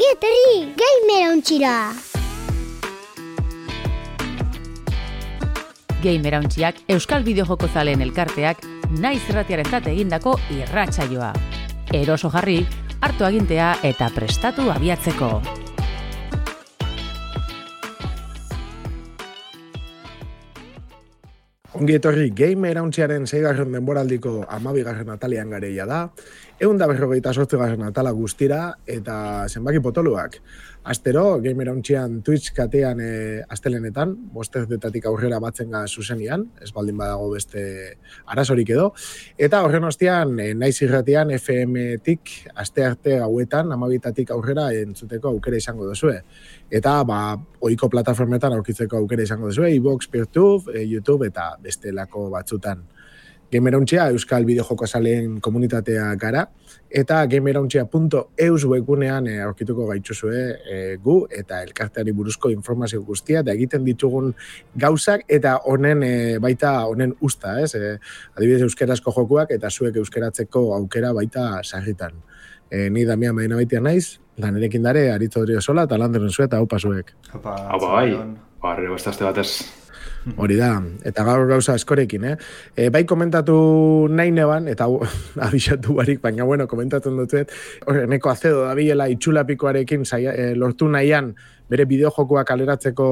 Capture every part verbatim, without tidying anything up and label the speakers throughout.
Speaker 1: Ongi etorri Gamerauntxira!
Speaker 2: Gamerauntxiak Euskal Bideojoko zaleen elkarteak naiz irratiarentzat egindako irratsaioa. Eroso jarri, hartu agintea eta prestatu abiatzeko.
Speaker 3: Ongi etorri Gamerauntxiaren seigarren denboraldiko hamabigarren atalean gareia da, ehun eta berrogeita zortzigarren atala guztira eta zenbaki potoluak. Astero, Gamerauntxian Twitch katean e, astelenetan, bosterdetatik aurrera batzen ga zuzenian, ez baldin badago beste arazorik edo, eta horren ostean, e, naiz irratian F M-tik aste arte gauetan, hamabitatik aurrera entzuteko aukera izango duzue. Eta, ba, ohiko plataformetan aurkitzeko aukera izango duzue, iVoox, Peertube, e, YouTube eta bestelako batzutan. Gamerauntxia Euskal Bideojoko zaleen komunitatea gara, eta gamerauntxia punto eus webgunean e, aurkituko gaituzue e, gu eta elkarteari buruzko informazio guztia, eta egiten ditugun gauzak, eta honen e, baita honen usta, ez? E, adibidez euskerazko jokuak, eta zuek euskeratzeko aukera baita sarritan. E, ni Damian Medina baitia naiz, lanerekin dare, Aritzo Odriozola, eta Landeren zuet, haupa zuek.
Speaker 4: Haupa, bai, barrio beste batez.
Speaker 3: Hori da, eta gaur gauza askorekin, eh? E, bai komentatu nahi neban, eta abisatu barik, baina bueno, komentatzen dutzuet, horreneko azedo da bilela itxulapikoarekin e, lortu nahian bere bideojokoak kaleratzeko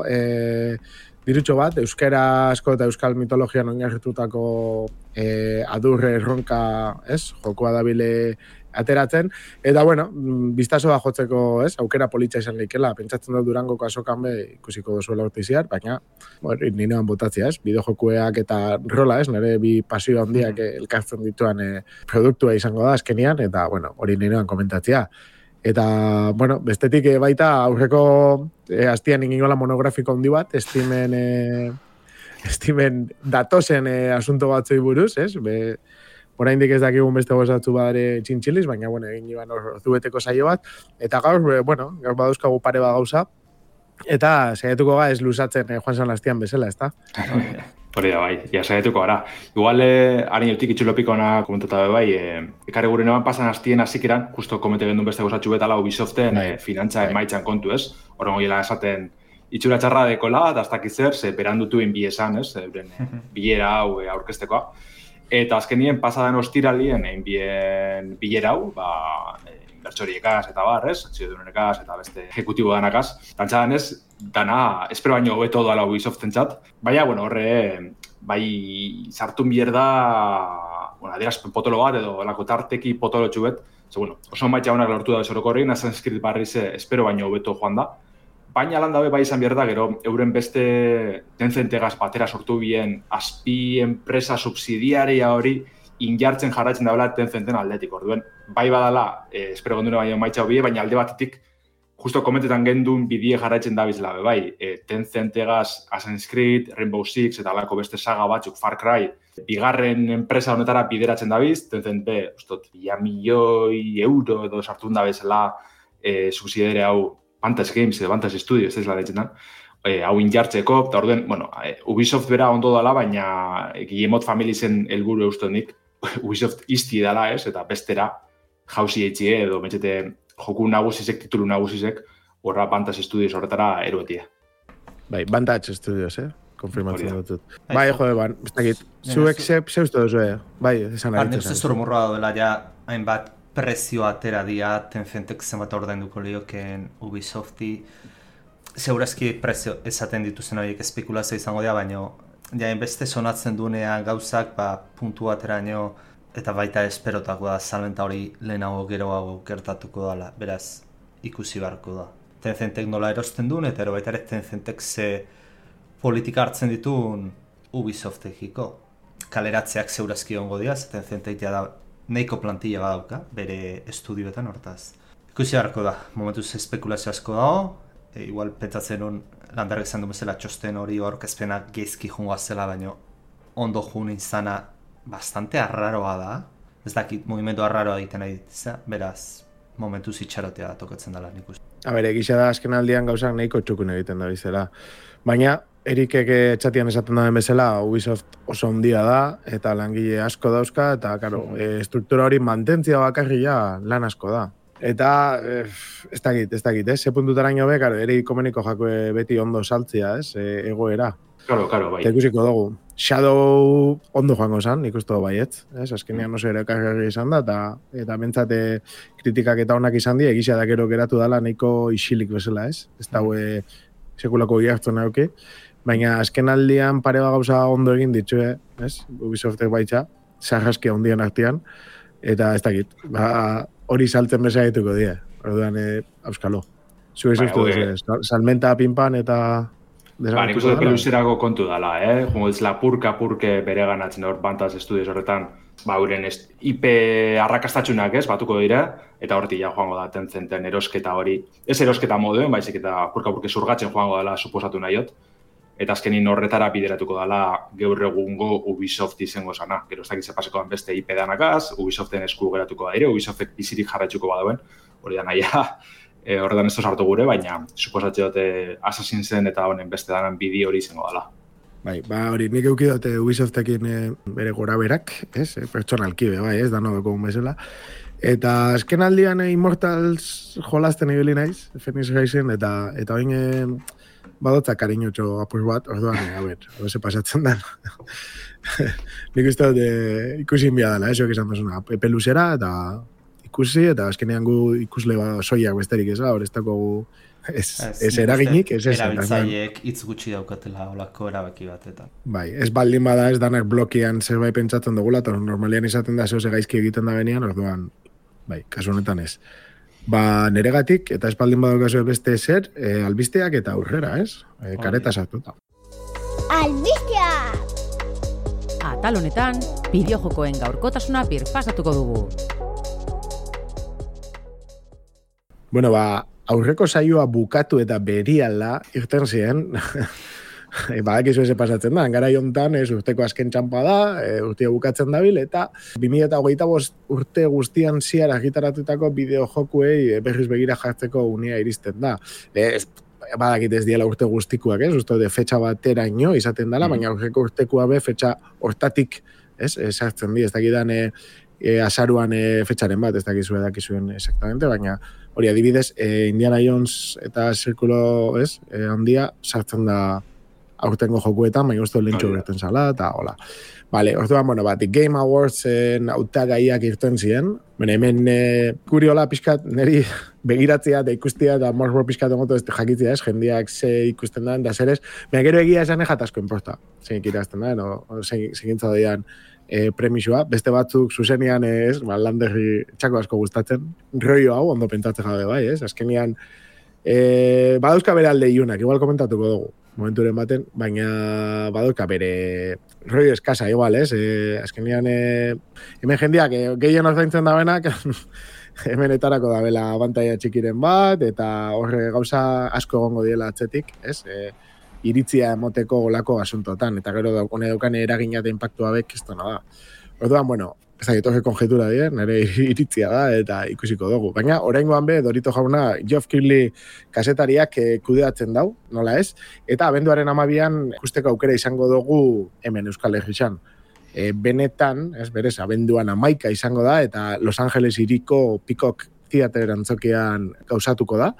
Speaker 3: e, dirutxo bat, euskera asko eta euskal mitologian oinarritutako e, adurre erronka, ez? Jokoa da bile ateratzen, eta bueno, biztasoa jotzeko, ez, aukera politxa izan leikela, pentsatzen dut Durangoko azokan be ikusiko duzuela urtiziar, baina, bueno, nirean botatzea, ez, bideojokueak eta rola, ez, nire bi pasio handiak elkartzen dituan e, produktua izango da azkenian, eta, bueno, hori nirean komentatzea. Eta, bueno, bestetik e, baita aurreko e, astian ingola monografiko handi bat, estimen, e, estimen datozen e, asunto batzoi buruz, ez, be, oraindik ez dakigun beste gozatzu badare txintxiliz, baina, bueno, egin iban zubeteko saio bat. Eta gaur, bueno, gaur badauzkagu pare bat gauza. Eta saiatuko ga ez luzatzen eh, Juan San Lastian bezala, ezta?
Speaker 4: Hori da, bai, ja saiatuko gara. Igual, eh, harin eutik itxulopikona komentata bai, eh, ekarri gure noan pasan hastien hasikeran, justo komete gendun beste gozatxu betala Ubisoften eh, finantza emaitzan kontu, ez? Horren goiela esaten itxura txarra dekola, eta ez dakitzer, ze berandutu inbi esan, ez? Euren eh, bilera hau eh, aurkestekoa. Eta azkenien pasadan ostiralien egin bien bilera hau, ba, inbertsoriekaz eta bar, ez? Txidunekaz eta beste ejecutibo danakaz. Tantxadan ez, dana, espero baino hobeto dala Ubisoften txat. Baina, bueno, horre, bai, sartun bier da, bueno, adierazpen potolo bat edo lako tarteki potolo txubet. Ze, bueno, oso maitxa honak lortu da bezoroko horrein, Assassin's Creed barriz espero baino hobeto joan da. Baina lan dabe bai izan behar da, gero, euren beste Tencentegaz batera sortu bien azpi enpresa subsidiaria hori injartzen jarraitzen daula Tencenten aldetik. Orduen, bai badala, eh, espero gondune baino maitxa hobie, baina alde batetik, justo komentetan gendun bidie jarraitzen dabizla, bai, eh, Tencentegaz Assassin's Creed, Rainbow Six eta alako beste saga batzuk, Far Cry, bigarren enpresa honetara bideratzen dabiz, Tencent be, ustot, ia milioi euro edo sartun dabezela eh, subsidiaria hau Fantasy Games edo Fantasy Studios, ez la deitzen e, hau injartzeko, eta orduen, bueno, e, Ubisoft bera ondo dala, baina e, Guillemot Family zen helburu eustonik, Ubisoft izti dala, ez, eta bestera jauzi eitxie edo metxete joku nagusizek, titulu nagusizek, horra Fantasy Studios horretara eruetia.
Speaker 3: Bai, Vantage Studios, eh? Konfirmatzen dut. Bai, jode, ban, ez dakit, zuek zeustu duzu, eh? Bai, esan
Speaker 5: ari. Nire zuzur morroa dela, ja, hainbat prezio atera dia, Tencentek zenbat ordainduko lioken Ubisofti. Segurazki prezio esaten dituzen horiek espekulazio izango dira, baina ja, beste sonatzen duenean gauzak, ba, puntu ateraino, eta baita esperotako da, salmenta hori lehenago geroago gertatuko dela, beraz, ikusi beharko da. Tencentek nola erosten duen, eta ero baita ere Tencentek ze politika hartzen dituen Ubisoftekiko. Kaleratzeak segurazki ongo dira, Tencentek da neiko plantilla badauka, bere estudioetan hortaz. Ikusi beharko da, momentuz espekulazio asko dago, e, igual pentsatzen hon Lanberg izan du bezala txosten hori aurkezpenak geizki jungoa zela, baina ondo jun izana bastante arraroa da. Ez dakit, movimendu arraroa egiten nahi ditza, beraz, momentuz itxarotea tokatzen dela nik uste.
Speaker 3: A ber, egisa da azken aldian gauzak nahiko txukun egiten da bizela. Baina, Erikek txatian esaten da bezala, Ubisoft oso ondia da, eta langile asko dauzka, eta, karo, e, struktura hori mantentzia bakarria lan asko da. Eta, eh, ez dakit, ez dakit, ez? Ze puntutaraino be, karo, ere ikomeniko jako beti ondo saltzea, ez? E, egoera.
Speaker 4: Claro, claro, bai.
Speaker 3: Eta ikusiko dugu. Shadow ondo joango zan, nik uste baietz. Ez? Azkenean oso ere kargarri izan da, eta, eta bentsate kritikak eta onak izan die, egizia da gero geratu dala nahiko isilik bezala, ez? Ez daue sekulako gihartu nahuki. Baina azken aldian pare bat gauza ondo egin ditxue, ez? Ubisoftek baitza, sarraskia ondien artean, eta ez dakit, ba, hori saltzen beza dituko die, orduan, e, auskalo. Zue izuztu duzu, salmenta pinpan eta...
Speaker 4: Ba, nik uste peluzerako kontu dala, eh? Jungo ez lapurka-purke bere ganatzen hor Bantas Studios horretan, ba, uren I P arrakastatxunak ez, batuko dira, eta horti ja joango da Tencenten erosketa hori, ez erosketa moduen, baizik eta purka-purke zurgatzen joango dela suposatu nahiot, eta azkenin horretara bideratuko dela gaur egungo Ubisoft izango sana. Gero ez dakit zepasekoan beste I P danakaz, Ubisoften esku geratuko da ere, Ubisoftek bizirik jarraitzuko badauen, hori da nahia, e, horretan ez sartu gure, baina suposatze dute Assassinsen eta honen beste danan bideo hori izango dela.
Speaker 3: Bai, ba hori, nik euki dute Ubisoftekin e, bere gora berak, ez? E, pertsonalki be, bai, ez, dano doko bezala. Eta azken aldian e, Immortals jolasten ibili naiz, Phoenix Rising, eta eta oin e, badotza kariñotxo apur bat, orduan, e, a ber, hori se pasatzen da. Nik uste dut e, ikusi inbia dela, eso esan duzuna, peluzera eta ikusi, eta azkenean gu ikusle ba, soiak besterik ez, hor ez dako gu ez, ez eraginik, ez ez.
Speaker 5: Erabiltzaileek hitz gutxi daukatela olako erabaki batetan.
Speaker 3: Bai, ez baldin bada ez danak blokean zerbait pentsatzen dugula, eta normalian izaten da zehose gaizki egiten da benian, orduan, bai, kasu honetan ez. Ba, neregatik, eta ez baldin badaukazu beste ezer, e, albisteak eta aurrera, ez? E, kareta sartuta.
Speaker 1: Albisteak!
Speaker 2: Atal honetan, bideojokoen gaurkotasuna birpasatuko dugu.
Speaker 3: Bueno, ba, aurreko saioa bukatu eta beriala irten ziren, badakizu eze pasatzen da, gara jontan ez urteko azken txampa da, e, urtea bukatzen dabil, eta bi mila hogeita bost urte guztian ziar argitaratutako bideojokuei berriz begira jartzeko unea iristen da. E, ez, badakit ez diela urte guztikuak, ez, uste de fetxa bateraino izaten dela, mm. baina aurreko urtekua be fetxa hortatik, ez, sartzen di, ez dakidan e, e, azaruan e, fetxaren bat, ez dakizu edakizuen exactamente, baina hori adibidez, e, Indiana Jones eta Zirkulo, ez, e, handia sartzen da aurtengo jokuetan, baina uste lentxo berten zala, eta hola. Vale, orduan, bueno, bat, Game Awardsen hautagaiak irten ziren, bueno, hemen e, guri hola pixkat, niri begiratzea eta ikustia, eta morbor pixkat ongoto ez jakitzea, ez, jendeak ze ikusten da, da zer ez, baina gero egia esan ejatazko inporta, zein ikirazten da, no? Zegintza doian, E, premisua, beste batzuk zuzenian ez, ba, landerri txako asko gustatzen, rollo hau ondo pentsatzen jabe bai, ez, azkenian e, badauzka bere alde iunak, igual komentatuko dugu, momenturen baten, baina badauzka bere rollo eskasa, igual, ez, e, azkenian e, hemen jendeak e, gehien ordaintzen da benak, hemen etarako da bela abantaia txikiren bat, eta horre gauza asko egongo diela atzetik, ez, e, iritzia emoteko olako asuntotan, eta gero daukone daukane eragina eta impactua bek, ez da. Orduan, bueno, ez da, etorre konjetura dira, nire iritzia da, eta ikusiko dugu. Baina, oraingoan be, Dorito jauna, Geoff Keighley kasetariak eh, kudeatzen dau, nola ez, eta abenduaren amabian ikusteko aukera izango dugu hemen Euskal Herrixan. E, benetan, ez berez, abenduan amaika izango da, eta Los Angeles iriko Peacock Theater antzokian gauzatuko da.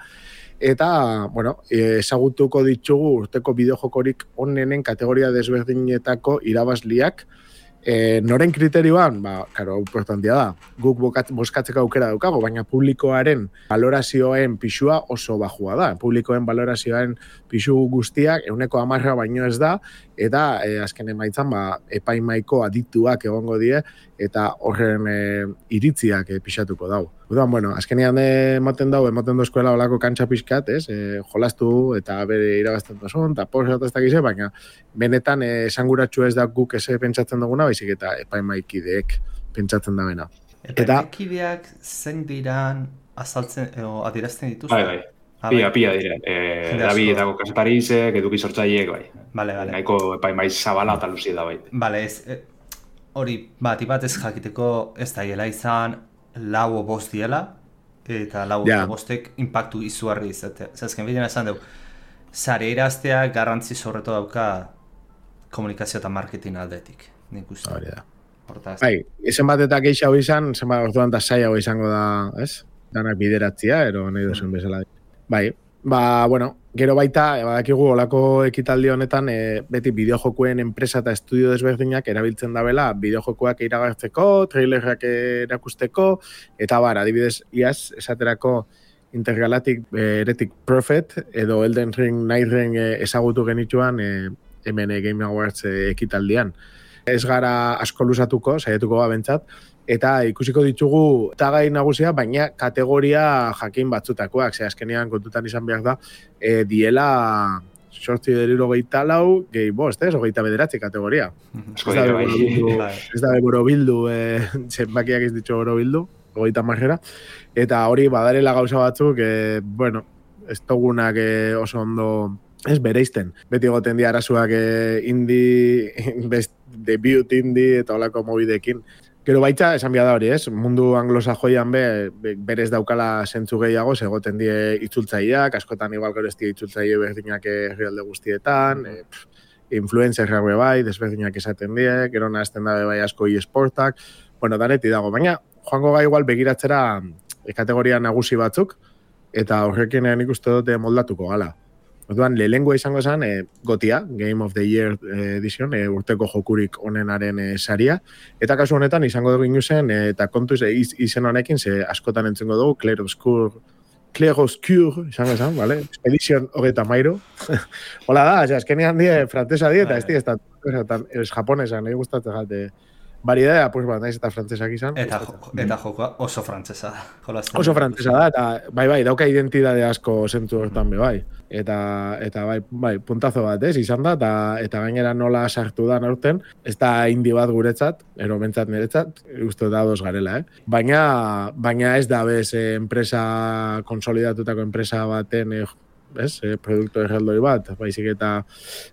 Speaker 3: Eta, bueno, ezagutuko ditugu urteko bideojokorik onenen kategoria desberdinetako irabazliak. E, noren kriterioan, ba, karo, importantia da, guk boskatzeko aukera daukago, baina publikoaren valorazioen pixua oso bajua da. Publikoen valorazioen pixu guztiak ehuneko hamarra baino ez da, eta e, azken emaitzan ba, epaimaiko adituak egongo die, eta horren e, iritziak e, pixatuko dau. Udan, bueno, azkenean ematen dau, ematen dozkoela olako kantxa pixkat, ez? E, jolastu eta bere irabazten dozun, eta posat ez dakize, baina benetan esanguratxu ez da guk eze pentsatzen duguna, baizik eta epaimaikideek pentsatzen da bena.
Speaker 5: Epaimakideak zein diran azaltzen, o adierazten dituz?
Speaker 4: Bai, bai. Pia, pia dire. E, Davidetako kasetarizek, eduki sortzaileek, bai.
Speaker 5: Vale, vale.
Speaker 4: Nahiko epaimaiz zabala eta luzia da, bai.
Speaker 5: Vale, ez, e, hori, bat, bat ez jakiteko ez da hiela izan, lau o bost diela, eta lau
Speaker 3: yeah.
Speaker 5: o bostek impactu izugarri izatea. Zazken bidena esan dugu, zare iraztea garrantzi zorreto dauka komunikazio eta marketing aldetik. Nik uste.
Speaker 3: Hori da.
Speaker 5: Hortaz.
Speaker 3: Bai, ezen bat eta geixau izan, zen bat orduan da zai hau izango da, ez? danak bideratzia, ero nahi duzuen bezala. Bai, ba, bueno, gero baita, e, badakigu olako ekitaldi honetan, e, beti bideojokuen enpresa eta estudio desberdinak erabiltzen dabela, bideojokoak iragartzeko, trailerrak erakusteko, eta bar, adibidez, iaz, esaterako Intergalactic Heretic Prophet, edo Elden Ring, Night Ring ezagutu genituan, e, hemen Game Awards ekitaldian. Ez gara asko luzatuko, saiatuko babentzat, eta ikusiko ditugu tagai nagusia, baina kategoria jakin batzutakoak, ze azkenean kontutan izan behar da, e, diela sortzi deriro geita lau, gehi bost, ez, ogeita bederatzi kategoria. Ez da borobildu, ez da borobildu, e, zenbakiak ez ditxo borobildu, ogeita marrera, eta hori badarela gauza batzuk, e, bueno, ez togunak e, oso ondo ez bereizten. Beti goten di arazuak eh, indie, best debut indie eta olako mobidekin. Gero baita, esan bia da hori, ez? Mundu anglosajoian be, be, berez daukala zentzu gehiago, egoten die itzultzaileak, askotan igual gero ez die itzultzaile berdinak herrialde guztietan, e, influencerrak be bai, desberdinak esaten die, gero nahazten da bai asko e-sportak, bueno, daneti dago, baina joango gai igual begiratzera e, kategoria nagusi batzuk, eta horrekin nik uste dute moldatuko gala. Orduan, lehengoa izango zen, e, Gotia, Game of the Year edition, e, urteko jokurik onenaren e, saria. Eta kasu honetan, izango dugu inuzen, e, eta kontuz e, iz, izen honekin, ze askotan entzengo dugu, Clair Obscur, Clair Obscur, izango zen, vale? Expedition hogeita mairu. Hola da, ose, azkenean die, frantesa die, eta ez di, ez da, ez japonesa, nahi gustatzen jate. Variedadea, pues, ba, naiz eta frantsesak izan.
Speaker 5: Eta, jo, eta jokoa oso frantsesa da.
Speaker 3: Oso frantsesa da, eta bai, bai, dauka identidade asko zentzu hortan be, bai. Eta, eta bai, bai, puntazo bat, ez, izan da, eta, eta gainera nola sartu da aurten, ez da indi bat guretzat, ero bentsat niretzat, uste da dos garela, eh? Baina, baina ez da bez, eh, enpresa, konsolidatutako enpresa baten, eh, ez, eh, produktu erraldoi bat, baizik eta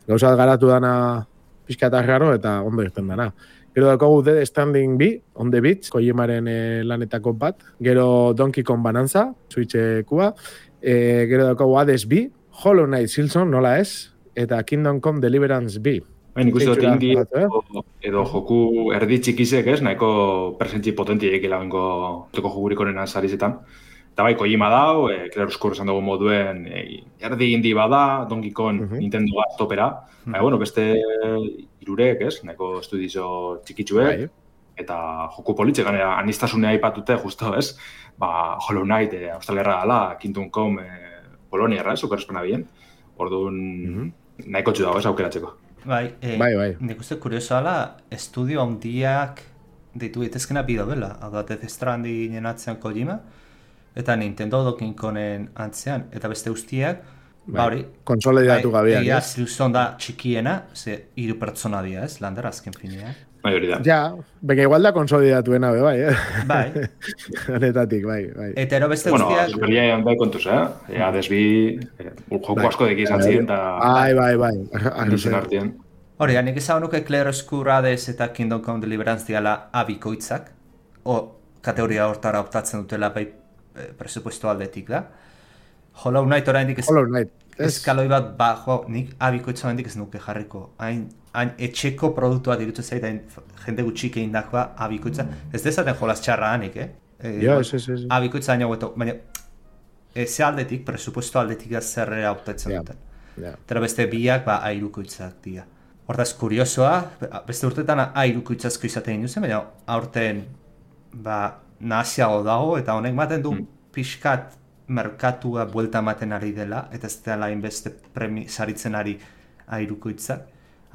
Speaker 3: gauzat garatu dana pixka eta raro, eta ondo irten dana. Gero dakogu Dead Standing B, On the Beach, Kojimaren e, lanetako bat. Gero Donkey Kong Bonanza, Switchekua. E, gero dakogu Hades B, Hollow Knight Silson, nola ez, eta Kingdom Come Deliverance B.
Speaker 4: Baina ikusi dut indi edo, edo joku erdi txikizek, ez, nahiko presentzi potentiek ilabenko toko jokurik honen sarizetan. Eta bai, Kojima dau, e, Clair Obscur esan dugu moduen, e, erdi indi bada, Donkey Kong, uh-huh. Nintendo topera. Uh-huh. Baina, bueno, beste irurek, ez, nahiko estudizo txikitzuek, bai. Eta joku politxe, ganera, anistasunea aipatute, justo, ez, ba, Hollow Knight, e, Australia gala, Kingdom Come, e, Polonia, ez, superespena bien. Orduan, uh-huh. Nahiko txu dago, ez, aukeratzeko.
Speaker 5: Bai, e, bai, bai. Nik uste kurioso ala, estudio handiak ditu itezkena bido bela, hau da, Death Stranding atzean Kojima, eta Nintendo Donkey Kongen antzean, eta beste guztiak, ba hori,
Speaker 3: konsolidatu gabiak,
Speaker 5: egia ziluzon da txikiena, ze hiru pertsona dia, ez, lander azken finean.
Speaker 4: Bai, hori da.
Speaker 3: Ja, beka igual da konsolidatuena, be, bai, eh?
Speaker 5: Bai.
Speaker 3: Honetatik, bai, bai.
Speaker 5: Eta ero beste
Speaker 4: bueno,
Speaker 5: guztiak...
Speaker 4: Bueno, superlia egon da kontuz, eh? Ea desbi, eh, joku bai. Asko deki izan ziren, eta...
Speaker 3: Bai, bai, bai.
Speaker 4: Arruzen artean.
Speaker 5: Hori, nik ezagun nuke Clair Obscur, Hades eta Kingdom Come Deliverance diala abikoitzak, o kategoria hortara optatzen dutela bai presupuesto aldetik da. Hollow Knight oraindik ez...
Speaker 3: Hollow Knight.
Speaker 5: Eskaloi bat, ba, jo, nik abikoitza oraindik ez nuke jarriko. Hain, hain etxeko produktua dirutu zait, hain jende gutxik egin dakoa abikoitza. Ez dezaten jolaz txarra hanik, eh? E,
Speaker 3: ja, ez, ez, ez.
Speaker 5: Abikoitza hain haueto, baina ze aldetik, presupuesto aldetik da zerrera optatzen yeah. duten. Yeah. Eta beste biak, ba, airukoitzak dira. Hortaz, kuriosoa, beste urtetan airukoitzazko izaten induzen, baina aurten, ba, naziago dago, eta honek maten du mm. pixkat merkatua buelta ematen ari dela, eta ez dela inbeste premi saritzen ari airukoitzak.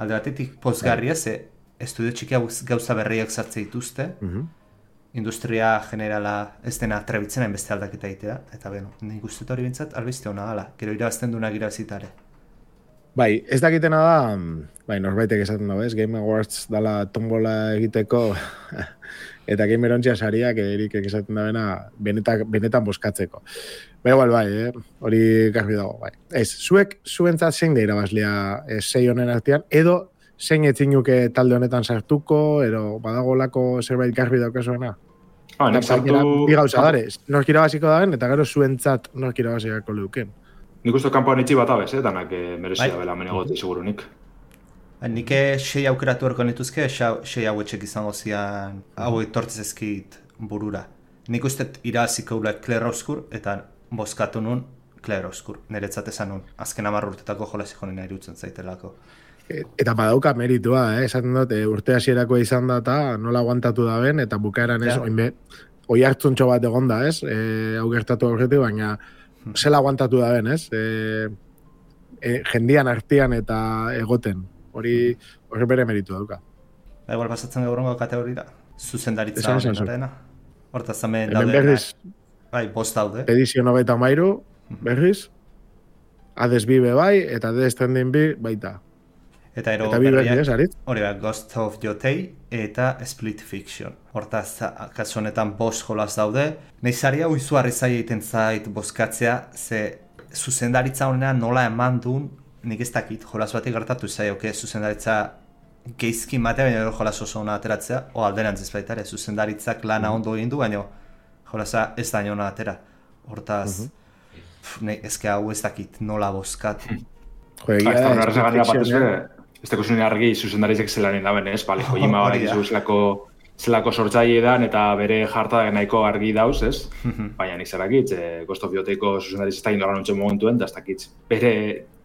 Speaker 5: Alde batetik pozgarria, ze estudio txikia gauza berriak sartze dituzte, mm-hmm. industria generala ez dena trebitzen hainbeste aldaketa egitea, eta beno, nik uste hori bintzat, albizte hona gala, gero irabazten duena irabazitare.
Speaker 3: Bai, ez dakitena da, bai, norbaitek esaten dago, ez, Game Awards dala tombola egiteko, eta gamerontxia sariak erikek esaten da bena benetan, benetan boskatzeko. Bai, igual, bai, eh? Hori garbi dago, bai. Ez, zuek, zuentzat zein da irabazlea eh, sei honen artean, edo zein etzinuke talde honetan sartuko, edo badagolako zerbait garbi daukazuena?
Speaker 4: Ah, nik sartu...
Speaker 3: Bi gauza dare, nork irabaziko daben, eta gero zuentzat nork irabaziko leuken.
Speaker 4: Nik uste kanpoan itxi bat abez, eh? Danak eh, merezia bai. Bela menegoti, seguru nik.
Speaker 5: Nik sei aukeratu erko nituzke, sei hauetxek izango zian, hau etortzez ezkit burura. nik uste iraziko ula kleroskur, eta bozkatu nun kleroskur. Niretzat esan nun, azken hamar urtetako jolasik honena irutzen zaitelako.
Speaker 3: Eta badauka meritua, eh? Esaten dut, urte hasierako izan da eta nola aguantatu da ben, eta bukaeran ez, oinbe, oi hartzuntxo bat egonda, ez? E, hau gertatu aurretik, baina zela aguantatu da ben, ez? E, e, jendian artean eta egoten. Hori, hori bere meritu dauka.
Speaker 5: Ba, igual pasatzen gaurrengo kategorira. Zuzendaritza honetena. Hortaz hemen
Speaker 3: daude. Hemen berriz,
Speaker 5: bai, bost daude.
Speaker 3: Edizio nobeita mairu, berriz. Hades bibe bai, eta Death Stranding bi baita.
Speaker 5: Eta ero
Speaker 3: eta berriak,
Speaker 5: hori bat, Ghost of Yotei eta Split Fiction. Hortaz, kasu honetan bost jolas daude. Neizaria uizuarri zaila egiten zait bozkatzea, ze zuzendaritza honean nola eman duen, nik ez dakit, jolas batik gertatu zaioke, zuzendaritza geizkin batea, baina jolas oso hona ateratzea, o alderantz ez baita ere, zuzendaritzak lana ondo egin du, baina jolasa ez da hona atera. Hortaz, uh-huh. ezke hau ez dakit nola bozkat.
Speaker 3: Joegia,
Speaker 4: ez teko zuen argi zuzendaritzak zelanen daben, ez? Bale, Kojima bat izu zelako, zelako sortzaile edan eta bere jarta nahiko argi dauz, ez? Baina nizarakitz, eh, Ghost of Yoteiko zuzendaritz ez da indoran nontzen momentuen, eta ez dakitz bere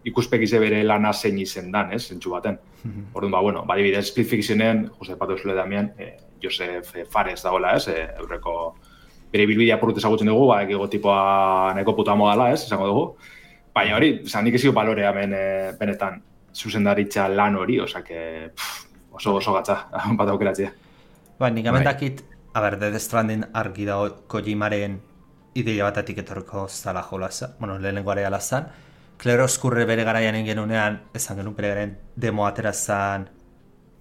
Speaker 4: ikuspekize bere lana zein izen dan, ez? Zentsu baten. Orduan, ba, bueno, badibidez, Split Fictionen, Jose Pato Zule Damien, eh, Josef Fares dagoela, ez? Eh, eurreko bere bilbidea purut ezagutzen dugu, ba, egigo tipoa nahiko puta modala, ez? Esango dugu. Baina hori, zan nik ezio balorea hemen eh, benetan zuzendaritza lan hori, osak oso oso gatza, bat aukeratzea.
Speaker 5: Ba, nik amendakit, a ber, Death Stranding argi dago Kojimaren ideia batatik etorriko zala jolasa, bueno, lehenengo area lazan. Kleroskurre bere garaian ingenunean, esan genuen bere garen demo aterazan,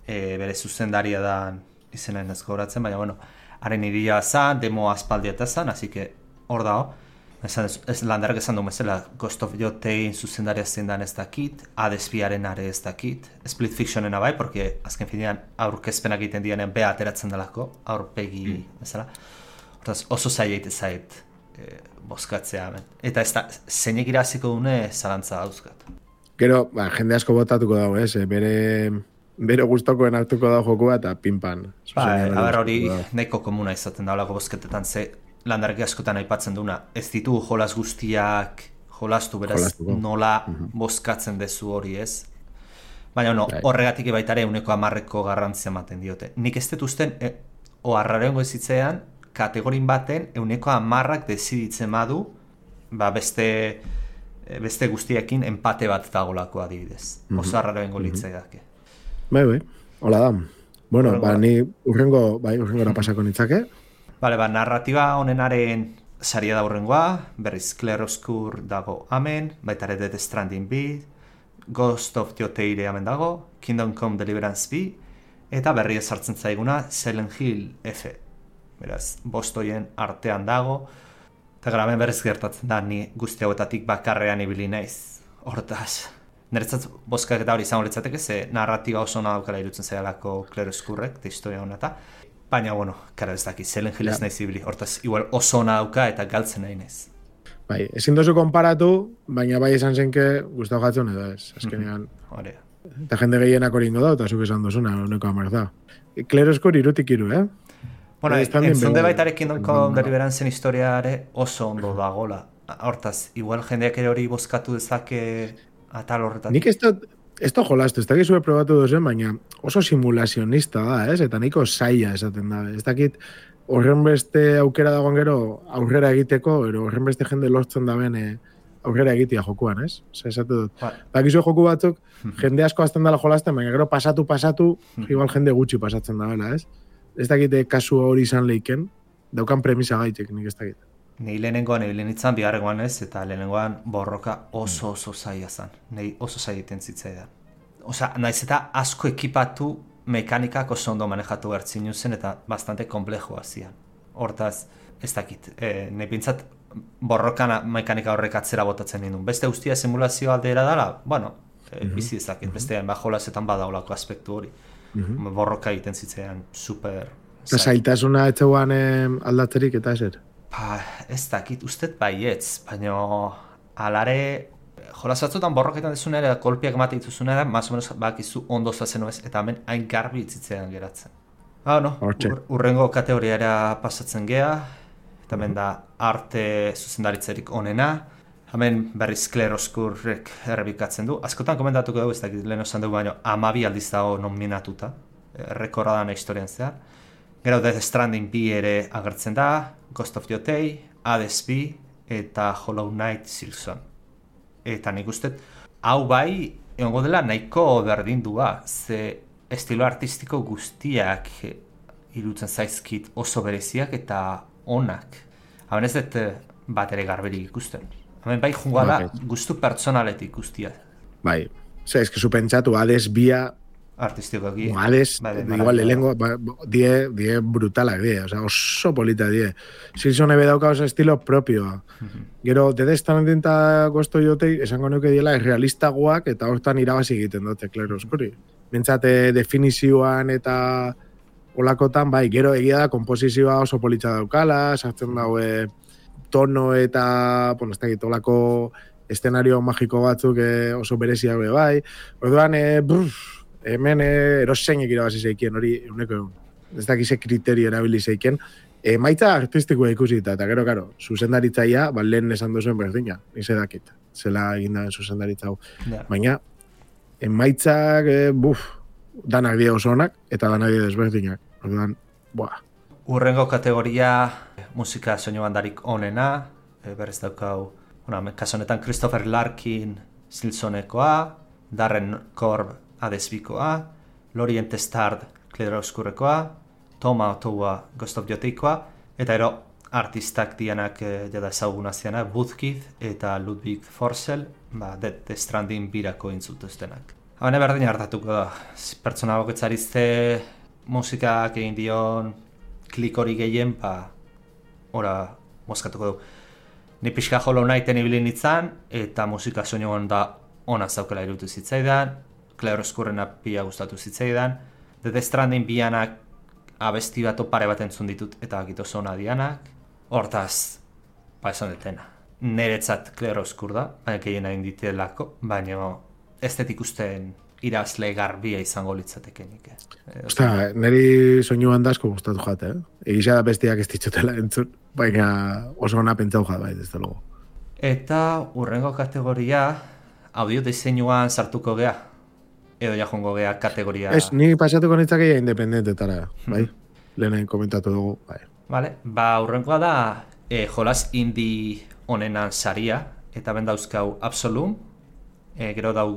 Speaker 5: e, bere zuzendaria da izenaen ez gogoratzen, baina, bueno, haren ideia zan, demo aspaldia eta zan, así que hor dago. Ez landarak esan du bezala, Ghost of Yotein zuzendaria zein dan ez dakit, Hades biaren are ez dakit, Split Fictionena bai, porque azken finean aurkezpenak egiten dianean bea ateratzen delako, aurpegi bezala. Hortaz oso zaila egite zait e, bozkatzea hemen. Eta ez da, zeinek iraziko dune zalantza dauzkat.
Speaker 3: Gero, ba, jende asko botatuko dago, ez? Bere, bere gustokoen hartuko dago jokua eta pinpan.
Speaker 5: Ba, haber hori nahiko komuna izaten da olako bozketetan, ze landarki askotan aipatzen duna, ez ditu jolas guztiak jolastu, beraz Jolastuko. Nola uh-huh. bozkatzen dezu hori ez. Baina no, horregatik baitare euneko amarreko garrantzia ematen diote. Nik ez dut usten, e, oharrarengo ezitzean, kategorin baten euneko amarrak deziditzen badu, ba beste, beste guztiekin empate bat dagolako adibidez. Uh-huh. Oso harrarengo uh-huh. litzaiake.
Speaker 3: Bai, bai, hola da. Bueno, Horrengo. ba, ni urrengo, bai, urrengora pasako nitzake.
Speaker 5: Bale, ba, narratiba honenaren saria da urrengoa, berriz Claroscure dago amen, baita ere Death Stranding bi, Ghost of Yoteire amen dago, Kingdom Come Deliverance bi, eta berri ezartzen zaiguna Silent Hill F. Beraz, bostoien artean dago, eta graben berriz gertatzen da, ni guzti hauetatik bakarrean ibili naiz. Hortaz, niretzat bozkak eta hori izango litzateke, ze narratiba oso ona daukala irutzen zailako Claroscurek, eta historia honeta. Baina, bueno, kara ez daki, Silent Hill ez nahi zibili, hortaz, igual oso ona dauka eta galtzen nahi naiz.
Speaker 3: Bai, ezin dozu konparatu, baina bai esan zenke guztau jatzen edo ez, azkenean.
Speaker 5: Hore.
Speaker 3: Eta jende gehienak horingo da, eta zuk esan dozuna, honeko amar da. Claroscure irutik iru, eh?
Speaker 5: Bueno, entzunde baitarekin dolko Deliveranzen historiare oso ondo dagola. Hortaz, igual jendeak ere hori bozkatu dezake atal horretatik.
Speaker 3: Nik ez dut, ez da jolastu, ez dakit zure probatu dozen, baina oso simulazionista da, ez? Eta nahiko zaila esaten da. Ez dakit horren beste aukera dagoen gero aurrera egiteko, ero horren beste jende lortzen da ben aurrera egitea jokuan, ez? Zer esatu dut. Bakizu joku batzuk, jende asko azten dela jolasten, baina gero pasatu, pasatu, igual jende gutxi pasatzen da bela, ez? Ez dakit kasu hori izan leiken, daukan premisa gaitek, nik ez dakit.
Speaker 5: Nei lehenengoan ebilen itzan, bigarrengoan ez, eta lehenengoan borroka oso oso zaila zan. Nei oso zaila iten zitzaidan. Osa, naiz eta asko ekipatu mekanikak oso ondo manejatu bertzin zen eta bastante komplexua zian. Hortaz, ez dakit, e, nei pintzat borrokan mekanika horrek atzera botatzen nindun. Beste guztia simulazio aldera dela, bueno, e, uh-huh. bizi ezakit, beste bajolazetan badaulako aspektu hori. Uh-huh. Borroka egiten zitzaidan super...
Speaker 3: Zailtasuna etxeuan eh, aldatzerik eta ezer?
Speaker 5: Ba, ez dakit, ustet baietz, baina alare jolas batzutan borroketan dezuna ere, kolpiak emate dituzuna ere, más o menos bakizu ondo zazen ez, eta hemen hain garbi itzitzean geratzen. Ah, no, ur, urrengo kategoriara pasatzen gea, eta hemen da arte zuzendaritzerik onena, hemen berriz Claroscurrek errebikatzen du. Askotan komentatuko dugu, ez dakit lehen osan dugu baino, amabi aldiz dago nominatuta, rekorda dana historian zehar. Gero Death Stranding bi ere agertzen da, Ghost of Yotei, Hades bi eta Hollow Knight Silksong. Eta nik uste, hau bai, egongo dela nahiko berdindua, ze estilo artistiko guztiak irutzen zaizkit oso bereziak eta onak. Haben ez dut bat ere garberik ikusten. Hemen bai jungoa da, gustu pertsonaletik guztia.
Speaker 3: Bai, ze, ez que zu pentsatu, Hades bia
Speaker 5: artistikoki.
Speaker 3: Hades, igual lehengo, die, die brutalak die, o sea, oso polita die. Silksong ebe dauka oso estilo propioa. Gero, Death Stranding eta Ghost of Yotei, esango nuke diela, realistagoak eta hortan irabazi egiten dute, Claroscurri. Bentsate definizioan eta olakotan, bai, gero egia da, komposizioa oso politxa daukala, sartzen daue tono eta, bueno, ez da egit, olako eszenario magiko batzuk eh, oso bereziak be bai. Orduan, eh, bruf, hemen eh, eroseinek irabazi zeikien, hori euneko egun. Ez dakize kriterio erabili zeiken. Emaitza artistikoa ikusita, eta gero, karo, zuzendaritzaia, ba, lehen esan duzuen berdina, nize dakit, zela egin da zuzendaritza hau. Yeah. Baina, emaitzak, eh, buf, danak die oso onak, eta danak die desberdinak. Orduan, buah.
Speaker 5: Urrengo kategoria, musika soinu bandarik onena, e, berez daukau, bueno, kaso honetan Christopher Larkin Silksonekoa, Darren Korb Hades bikoa, Lorient Stard Claroscurrekoa, Toma Otoa Ghost of Yoteikoa, eta ero artistak dianak e, jada ezaguna zianak, Woodkid eta Ludwig Forssell, ba, Death Stranding birako intzutuztenak. Hane berdin hartatuko da, pertsona boketzarizte musikak egin dion klik hori gehien, ba, ora mozkatuko du. Ni pixka Hollow Knighten ibili nintzen, eta musika soinu da ona zaukela irutu zitzaidan, Claroscurrena pila gustatu zitzaidan, Death Stranding bianak abesti bat pare bat entzun ditut, eta agito zona dianak, hortaz, ba esan detena. Neretzat Claroscur da, baina kegin egin ditelako, baina ez dut ikusten irazle garbia izango litzatekenik. Eh?
Speaker 3: Osta, niri soinu handasko gustatu jate, eh? Egisa da bestiak ez ditutela entzun, baina oso ona pentsau jat, bai, ez da logo.
Speaker 5: Eta urrengo kategoria, audio diseinuan sartuko gea, edo ja jongo gea kategoria...
Speaker 3: Ez, ni pasatuko nitzakeia independentetara, bai? Lehen komentatu dugu, bai.
Speaker 5: Vale, ba, urrengoa da e, jolas indie honenan saria, eta ben dauzkau Absolum, e, gero dau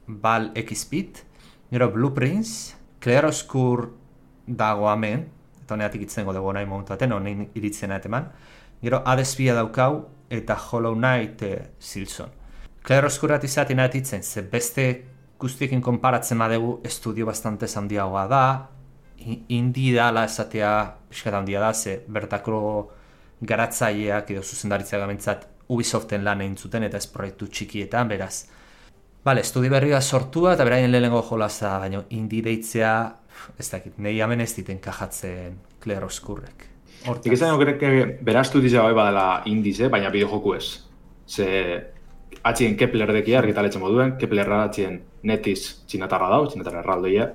Speaker 5: Val X-Bit, gero Blueprints, Claroscur dago hemen, eta honeatik itzengo dugu nahi montaten, honein iritzena eteman, gero Hades bia daukau, eta Hollow Knight e, Silksong. Claroscurrat izaten atitzen, ze beste guztiekin konparatzen badegu estudio bastante handiagoa da, indie dala esatea pixkat handia da, ze bertako garatzaileak edo zuzendaritzak gamentzat Ubisoften lan egin zuten eta ez proiektu txikietan, beraz. Bale, estudi berria sortua eta beraien lehenengo jolaza, baina indie deitzea, ez dakit, nahi hemen ez diten kajatzen Claroscurrek.
Speaker 4: Hortik ez daño krek bera estudizia bai badala indize, baina bideojoku ez. Ze atxien Kepler dekia argitaletzen moduen, Kepler atxien netiz txinatarra dau, txinatarra erraldoia.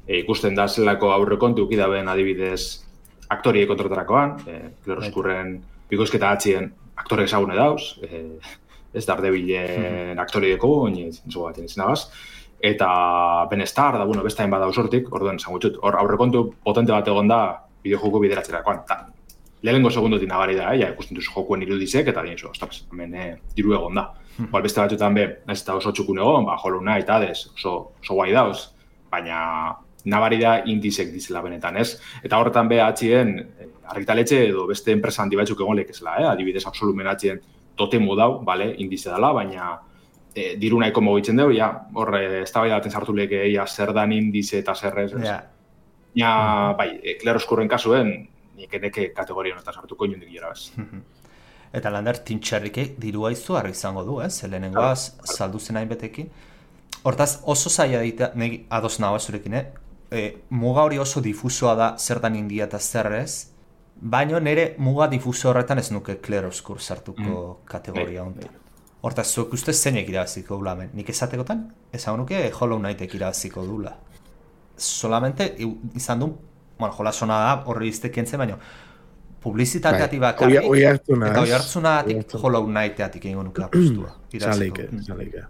Speaker 4: E, ikusten da zelako aurrekontu ukidaben adibidez aktorie kontratarakoan, e, Claroscurren bikoizketa atxien aktore ezagune dauz, e, ez Daredevilen aktori deko, oinez, nizo bat izan agaz. Eta Ben Starr, da, bueno, bestain bada usortik, orduan, zangutxut, hor aurrekontu potente bat egon da bideojoko bideratzerakoan. Lehenengo segundotik nabari da, ja, ikusten duzu jokuen irudizek, eta dien, ostras, hemen eh, diru egon da. Hmm. Bal, beste batzutan be, ez eta oso txukun egon, ba, Hollow Knight, Hades, oso, oso guai dauz, baina nabari da indizek dizela benetan, ez? Eta horretan be atxien, argitaletxe edo beste enpresa handi batzuk egon lekezela, eh? Adibidez, Absolumen atxien totemu dau, bale, indize dela, baina e, diru nahiko mogitzen dugu, ja, horre, ez da bai daten sartu leke, ja, zer dan indize eta zerrez, ez? Yeah. Ja, bai, e, Claroscurren kasuen, nik eneke kategoria honetan sartuko inundik jera, ez?
Speaker 5: Eta lander, tintxerrike dirua izu harri izango du, ez? Lehenengoaz, saldu zen hain betekin. Hortaz, oso zaila dita, negi ados nagoa zurekin, eh? E, muga hori oso difusoa da zer dan india eta zerrez, baina nire muga difuso horretan ez nuke Claroscur sartuko mm. kategoria honetan. Hortaz, zuek uste zeinek irabaziko dula hemen. Nik esatekotan, esan nuke Hollow Knightek irabaziko dula. Solamente izan du, bueno, jolasona da horri iztek entzen, baina publizitateatik bakarrik,
Speaker 3: oi hartzuna,
Speaker 5: eta oi hartzunatik Hollow Knightatik egingo nuke apostua.
Speaker 3: Zaleike, zaleike.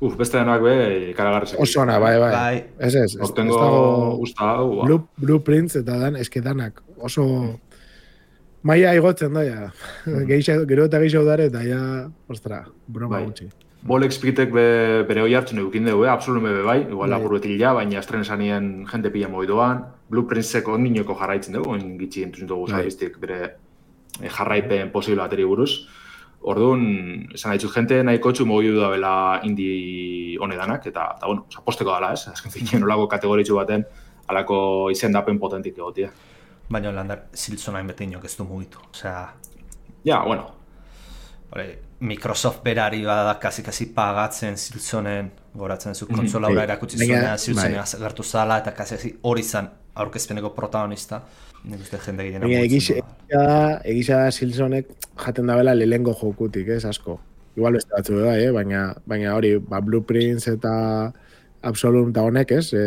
Speaker 4: Uf, beste denak be, ikaragarrizek.
Speaker 3: Oso ona, bai, bai.
Speaker 5: Bai.
Speaker 3: Ez ez, ez
Speaker 4: Hortengo
Speaker 3: dago
Speaker 4: usta hau, ba.
Speaker 3: Blue, Blueprints eta dan, eske danak oso maia igotzen da, ja. Geixa, gero eta gehiago dare, eta ja, ostra, broma
Speaker 4: Bai.
Speaker 3: gutxi.
Speaker 4: Bolek Spitek be, bere hoi hartzen eukin dugu, eh? Absolume be bai, igual
Speaker 3: Bai.
Speaker 4: labur betil ja, baina estren esanien jente pila moidoan. Blueprintseko niñoko jarraitzen dugu, oin gitxi entuzun dugu
Speaker 3: Bai.
Speaker 4: zaiztik bere eh, jarraipen posible bateri buruz. Orduan, esan haitzu jente nahiko txu mogidu da bela indi honedanak, eta, eta bueno, aposteko dala, ez? Azken finean olako kategoritxu baten, alako izendapen potentik egotia.
Speaker 5: Baina landar, Silson hain bete inok ez du mugitu. Osea,
Speaker 4: Ja, bueno,
Speaker 5: hori, Microsoft berari bada kasi-kasi pagatzen Silsonen, goratzen zu kontsola hura erakutsi
Speaker 3: Baina,
Speaker 5: zuenean Silsonen
Speaker 3: bai.
Speaker 5: agertu zala, eta kasi-kasi hori zan aurkezpeneko protagonista. Nik uste jende gehiena
Speaker 3: Baina
Speaker 5: mugitzen
Speaker 3: egisa
Speaker 5: du.
Speaker 3: da, egisa da Silsonek jaten dabela lehengo jokutik, ez, asko. Igual beste batzu da, eh? baina, baina hori, ba, Blueprints eta Absolum eta honek, ez, e,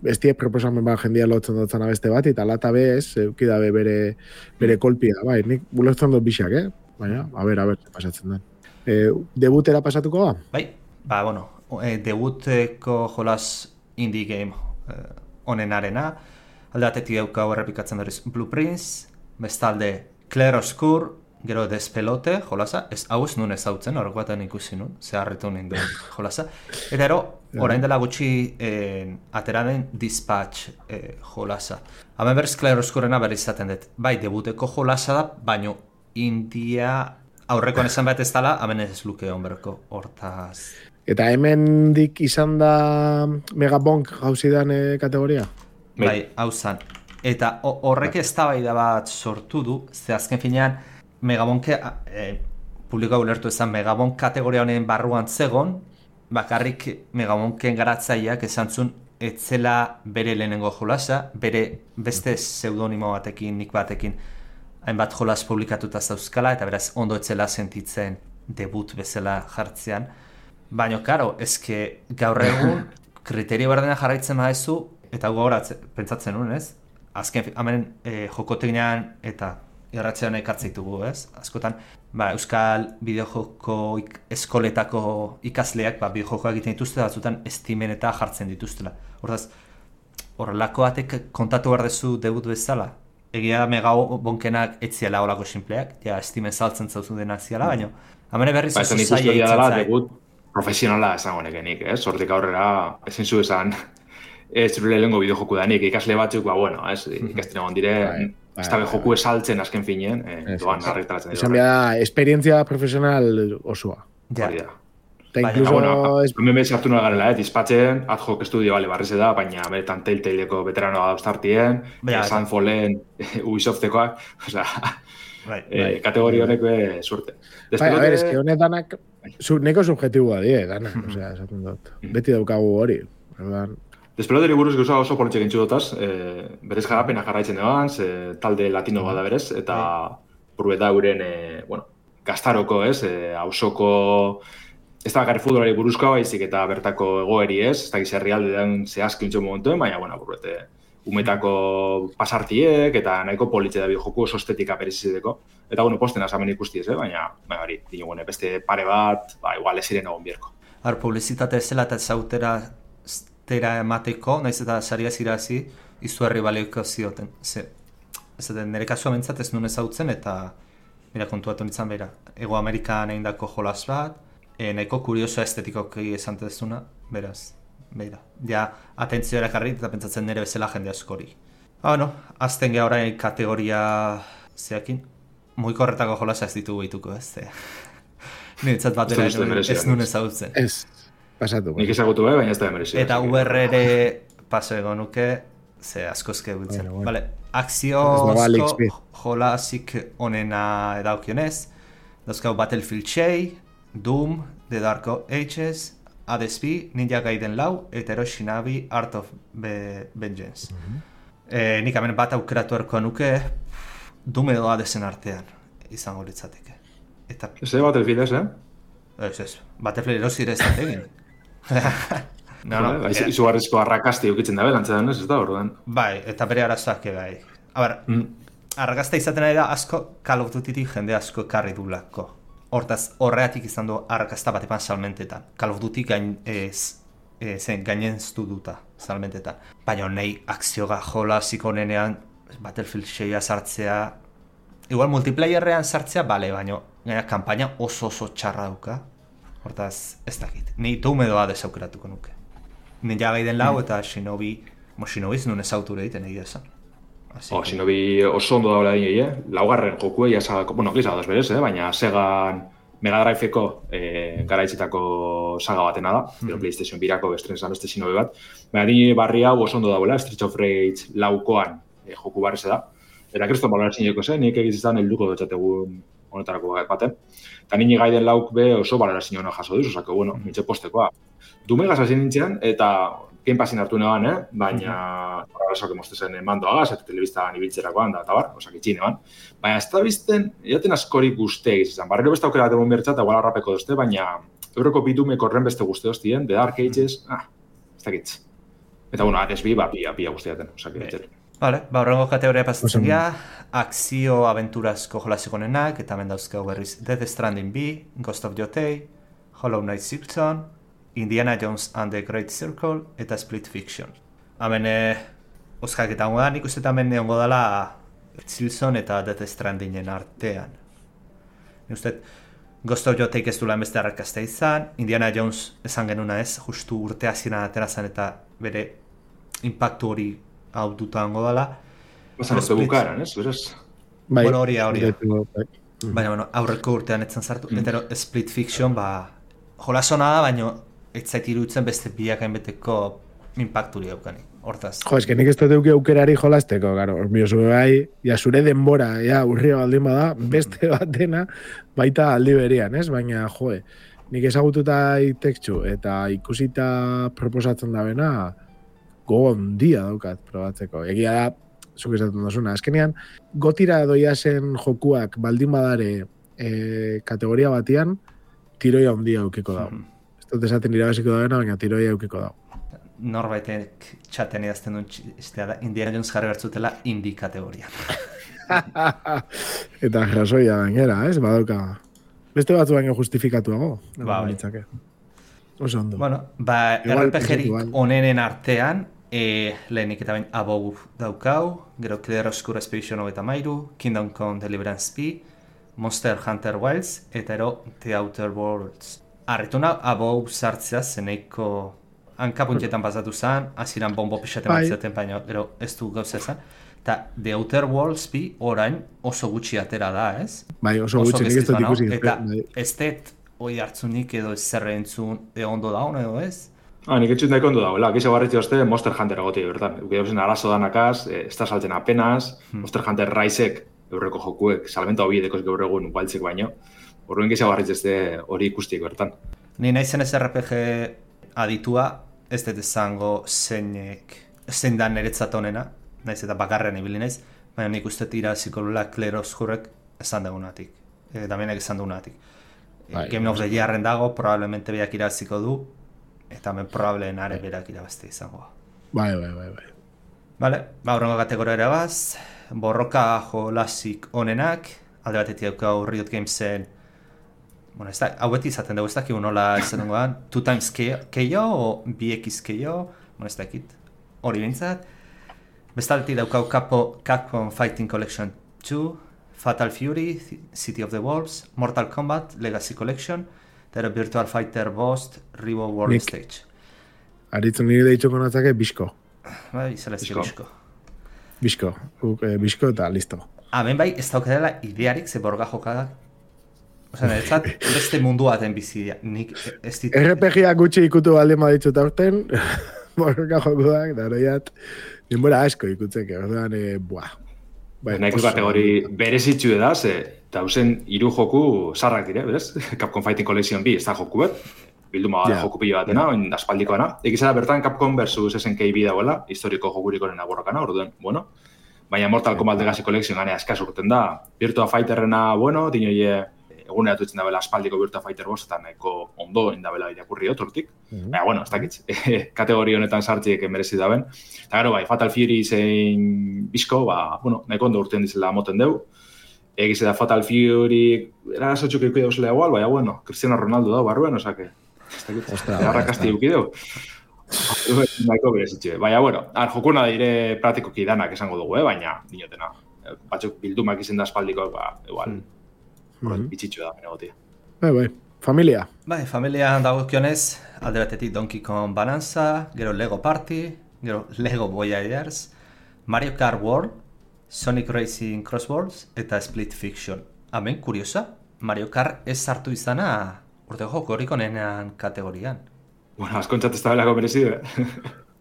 Speaker 3: ez die proposamen bat jendia lotzen dutzen abeste bat, eta lata be, ez, eukidabe bere, bere kolpia, bai, nik buletzen dut bixak, eh? Baina, a ber, a ber, pasatzen den. E, debutera pasatuko ba?
Speaker 5: Bai, ba, bueno, e, debuteko jolas indie game eh, onenarena, alde batetik dauka errepikatzen berriz Blueprints, bestalde Claroscure, gero Despelote, jolasa, ez hau ez nun ezautzen, horrek baten ikusi nun, zeharritu nien duen jolasa. Eta ero, orain dela gutxi eh, atera den Dispatch eh, jolasa. Hemen berriz Claroscurena berriz izaten dut. Bai, debuteko jolasa da, baino India aurrekoan esan bat ez dela, hemen ez luke onberko hortaz.
Speaker 3: Eta hemen dik izan da Megabonk gauzidan e, kategoria?
Speaker 5: Bai, hau zan. Eta ho- horrek eztabaida bat sortu du, ze azken finean Megabonke, e, publikoa ulertu ezan Megabonk kategoria honen barruan zegon, bakarrik Megabonken garatzaileak esan zuen etzela bere lehenengo jolasa, bere beste pseudonimo batekin, nik batekin, hainbat jolas publikatuta zauzkala, eta beraz ondo etzela sentitzen debut bezala jartzean. Baina, karo, ezke gaur egun kriterio berdena jarraitzen badezu, eta gogoratze, pentsatzen nuen, ez? Azken, hemen e, jokoteknean eta irratzean ekartzeitugu, ez? Askotan, ba, Euskal bideojoko ik, eskoletako ikasleak, ba, bideojokoak egiten dituzte, batzutan estimen eta jartzen dituztela. Hortaz, horrelako batek kontatu behar dezu debut bezala. Egia Megabonkenak etziela olako sinpleak, ja estimen saltzen zauzu dena ziala, baina hemen berriz
Speaker 4: ba,
Speaker 5: oso
Speaker 4: esan
Speaker 5: zaila
Speaker 4: ikustu dela
Speaker 5: itzen zai.
Speaker 4: debut profesionala esango nekenik, ez? Hortik aurrera, ezin zu esan, ez zure lehengo bideojoku danik, ikasle batzuk, ba, bueno, ez, ikasten egon dire,
Speaker 3: Bai, bai,
Speaker 4: ez da
Speaker 3: bai,
Speaker 4: joku esaltzen azken finean, eh, doan arretaratzen
Speaker 3: Esan behar da, esperientzia profesional osoa.
Speaker 5: Ja.
Speaker 4: Hori da.
Speaker 3: Eta
Speaker 5: Baina,
Speaker 3: incluso,
Speaker 4: Bueno,
Speaker 3: es,
Speaker 4: hemen bez hartu nola garela, eh? Dispatzen, ad hoc estudio, bale, barreze da, baina beretan Telltaleeko veteranoa dauztartien,
Speaker 5: Baina,
Speaker 4: eh, Sunfallen, Ubisoftekoak, osea,
Speaker 5: Bai.
Speaker 4: eh, kategoria honek be suerte.
Speaker 3: bai, a ver, es que
Speaker 4: Despelote,
Speaker 3: honedanak, su, neko subjetiboa die, danak, osea, esaten dut. Beti daukagu hori. Orduan,
Speaker 4: Despeloteri buruz gauza oso politxek entxu dutaz, eh, berez jarapena jarraitzen eban, ze talde latino bada berez, eta burbeta euren, eh, bueno, gaztaroko, ez, eh, hausoko, ez da bakarri futbolari buruzkoa baizik eta bertako egoeri ez, ez da gizarri alde den zehazki untxo momentuen, baina, bueno, burbete, umetako pasartiek eta nahiko politxe da bideojoku oso estetika berezizideko. Eta, bueno, posten asamen ikusti ez, eh? baina, baina hori, dinugune, beste pare bat, ba, igual ez ziren egon bierko.
Speaker 5: Har, publizitate zela eta zautera zera emateko, naiz eta saria zirazi, izugarri balioiko zioten. Ze, ez da, nire kasua bentsat ez nuen ezautzen eta, mira, kontuatu nintzen behira, Ego Amerikan egindako jolas bat, e, nahiko kurioso estetikoki esan dezuna, beraz, behira. Ja, atentzioa erakarri eta pentsatzen nire bezala jende askori. Ah, bueno, azten geha orain kategoria zeakin, muiko horretako jolasa ez ditugu behituko, ez? Ze. Nintzat batera
Speaker 4: Ez dut
Speaker 5: ez
Speaker 4: merezi,
Speaker 5: nuen
Speaker 4: ez.
Speaker 5: ezautzen.
Speaker 3: ez, pasatu.
Speaker 4: Nik ezagutu be, baina ez da emerezi.
Speaker 5: Eta U R ere paso egon nuke, ze askoske gutzen.
Speaker 3: Bueno, bueno.
Speaker 5: Vale,
Speaker 3: Ez dago Alex
Speaker 5: akziozko
Speaker 3: B.
Speaker 5: jolasik onena edaukionez, dauzkau Battlefield sei, Doom, The Dark Ages, Hades bi, Ninja Gaiden lau, eta Hero Shinabi Art of Be Vengeance. Eh, nik hemen bat aukeratu erko nuke, Doom edo Hadesen artean izango litzateke. Eta,
Speaker 4: Ez da Battlefield ez, eh?
Speaker 5: ez ez, Battlefield erosi ere ez da egin. No, no,
Speaker 4: Ba,
Speaker 5: eh,
Speaker 4: izugarrizko arrakasti ukitzen da belantza denez, ez da, orduan.
Speaker 5: Bai, eta bere arazoak bai. A ber,
Speaker 4: Mm.
Speaker 5: argazta izaten ari da asko Call of Duty jende asko ekarri dulako. Hortaz, horreatik izan du argazta bat epan salmentetan. Call of Duty gain, ez, e, zen, gainen duta salmentetan. Baina nahi akzioga jola zikonenean Battlefield seia sartzea, igual multiplayerrean sartzea, bale, baina gaina kampaina oso oso txarra duka. Hortaz, ez dakit. Ni doumedoa desaukeratuko nuke. Ninja Gaiden lau eta Shinobi, mo Shinobi nun ezauture egiten egia esan.
Speaker 4: Oh, Shinobi oso ondo daula dini, eh? Laugarren jokue, ja, bueno, gisa dos berez, eh? Baina Segan Mega Driveko eh, garaitzitako saga batena da, mm -hmm. PlayStation birako estrenezan beste Shinobi bat. Baina ni barri hau oso ondo daula, Streets of Rage laukoan eh, joku barreze da. Eta kriston baloran zineko zen, nik egizizan helduko dutxategun honetarako baten. Eta nini Gaiden lauk be oso baloran zineko jaso duz, osake, bueno, mitxe postekoa. Dumegaz hasi nintzen, eta Game Passin hartu neban, eh? Baina horregasoak emostezen mandoagaz, eta telebiztagan ibiltzerakoan, da, eta bar, osak itxin eban. Baina ez da bizten, edaten askorik guzte egizizan. Barrero beste aukera bat egon bertza, eta igual harrapeko dozte, baina euroko bitumeko horren beste guzte doztien, The Dark Ages, ah, ez dakitz. Eta, bueno, Ares bi, ba, pia, pia guztiaten, osak itxer.
Speaker 5: Vale, ba, horrengo kategoria pasatzen gara, akzio aventurazko jolaziko nenak, eta hemen dauzkau berriz Death Stranding bi, Ghost of Yotei, Hollow Knight Silksong, Indiana Jones and the Great Circle, eta Split Fiction. Hemen, eh, oskak eta hongo da, nik uste hemen neongo dela Silksong eta Death Strandingen artean. Nik uste, Ghost of Yoteik ez dula beste arrakazta izan, Indiana Jones esan genuna ez, justu urte hasieran aterazan eta bere impactu hori hau duta hongo dela.
Speaker 4: Basan ez bukaeran, ez? Beraz?
Speaker 3: Bai,
Speaker 5: bueno, hori hori baina, bueno, aurreko urtean etzen sartu. Mm. Eta Split Fiction, ba, jolasona da, baina ez zait iruditzen beste biakain beteko impacturi daukanik. Hortaz.
Speaker 3: Jo, eske nik ez dut aukerari jolasteko, garo. Orbiozu bai, ja, zure denbora, ja, urria baldin bada, beste batena, baita aldi berian, ez? Baina, joe, nik ezagututa itektxu, eta ikusita proposatzen da bena, gogon dia daukat probatzeko. Egia da, zuk esaten dozuna. Azkenean, gotira doia zen jokuak baldin badare e, kategoria batian, tiroia handia eukiko dago. Mm. Ez dut esaten irabaziko dagoena, baina tiroia eukiko dago.
Speaker 5: Norbaitek txaten idazten duen txistea da, Indiana Jones jarri bertzutela indie kategoria.
Speaker 3: Eta jasoia gainera, ez? Badauka. Beste batzu baino justifikatuago.
Speaker 5: Ba, bai.
Speaker 3: Oso ondo.
Speaker 5: Bueno, ba, R P G-rik onenen artean, E, lehenik eta bain Above daukau, gero Clear Obscure Expedition hogeita mairu, Kingdom Come Deliverance bi, Monster Hunter Wilds, eta ero The Outer Worlds. Arretuna Above sartzea zeneiko hankapuntietan pasatu zen, aziran bombo pixaten batzaten, baina gero ez du gauza zen. Eta The Outer Worlds bi orain oso gutxi atera da, ez?
Speaker 3: Bai, oso, oso gutxi, nik ez dut ikusi.
Speaker 5: Eta ez dut hoi hartzunik edo ez zerrentzun ondo daun edo ez?
Speaker 4: Ah, nik etxut daiko ondo dagoela, gizo barritzi hozte Monster Hunter agotik, bertan. Eukidau zen arazo danakaz, ez da saltzen apenas, hmm. Monster Hunter Raizek, eurreko jokuek, salmenta hobi dekoz gaur egun baltzek baino. Horren gizo barritzi hozte hori ikustiek bertan.
Speaker 5: Ni nahi zen ez R P G aditua, ez dut izango zeinek, zein da niretzat honena, nahiz eta bakarren ibili naiz, baina nik uste tira zikolula Claire Obscurek esan dugunatik, e, damienek esan dugunatik. E, Game of the Yearren dago, probablemente beak iraziko du, eta hemen probableen are berak irabazte izango.
Speaker 3: Bai, bai, bai, bai.
Speaker 5: Vale, ba, horrengo kategoria erabaz, borroka jolasik onenak, alde batetik daukau Riot Gamesen, bueno, ez da, hau beti izaten dugu, ez dakik nola izaten goan, two times K O o B X K O, bueno, ez dakit, hori bintzat. Bestaldetik daukau Capcom Fighting Collection two, Fatal Fury, City of the Wolves, Mortal Kombat, Legacy Collection, eta Virtual Fighter Bost, Revo World Nick. Stage.
Speaker 3: Aritzen nire deitxoko natzake, Bisko.
Speaker 5: Bai, zelezke Bisko.
Speaker 3: Bisko, eh, Bisko eta listo.
Speaker 5: Hemen bai, ez daukadela idearik ze borga jokadak. Osa, niretzat, beste mundu baten bizidia. Nik ez ditu...
Speaker 3: R P G-ak gutxi ikutu alde maditxut aurten, borga jokudak, da horiat, denbora asko ikutzeke, orduan, eh, buah.
Speaker 4: Bai, nahi kategori berezitxu edaz, dauzen hiru joku sarrak dire, berez? Capcom Fighting Collection bi, ez da joku bet, bilduma yeah. joku pilo batena, oin yeah. aspaldikoana. Egizara bertan Capcom versus S N K bi dagoela, historiko jogurikoren aborrokana, orduan, bueno. Baina Mortal Kombat Legacy Collection ganea eskaz urten da. Virtua Fighterrena, bueno, dinoie eguneratu itzen dabela aspaldiko Virtua Fighter bost, eta nahiko ondo indabela irakurri otortik. Mm-hmm. Baina, bueno, ez dakit, kategori honetan sartziek merezi daben. Eta gero, bai, Fatal Fury zein bizko, ba, bueno, nahiko ondo urtean dizela moten deu. Egize da Fatal Fury, erazotxuk eukide osela igual, baina, bueno, Cristiano Ronaldo da, barruen, osake, ez dakit, errakasti eukideu. Nahiko berezitxe. Baina, bueno, ar, jokuna dire praktikoki danak esango dugu, eh? Baina, dinotena. Batzuk bildumak izen da espaldiko, ba, igual, mm-hmm. bitxitxo da, negotia.
Speaker 3: Bai, bai, familia.
Speaker 5: Bai, familia dagokionez, alde batetik Donkey Kong Bonanza, gero Lego Party, gero Lego Voyagers, Mario Kart World, Sonic Racing Cross Worlds eta Split Fiction. Hemen, kuriosa, Mario Kart ez sartu izana urte joko horiko nenean kategorian.
Speaker 4: Bueno, askontzat ez da belako merezi, eh?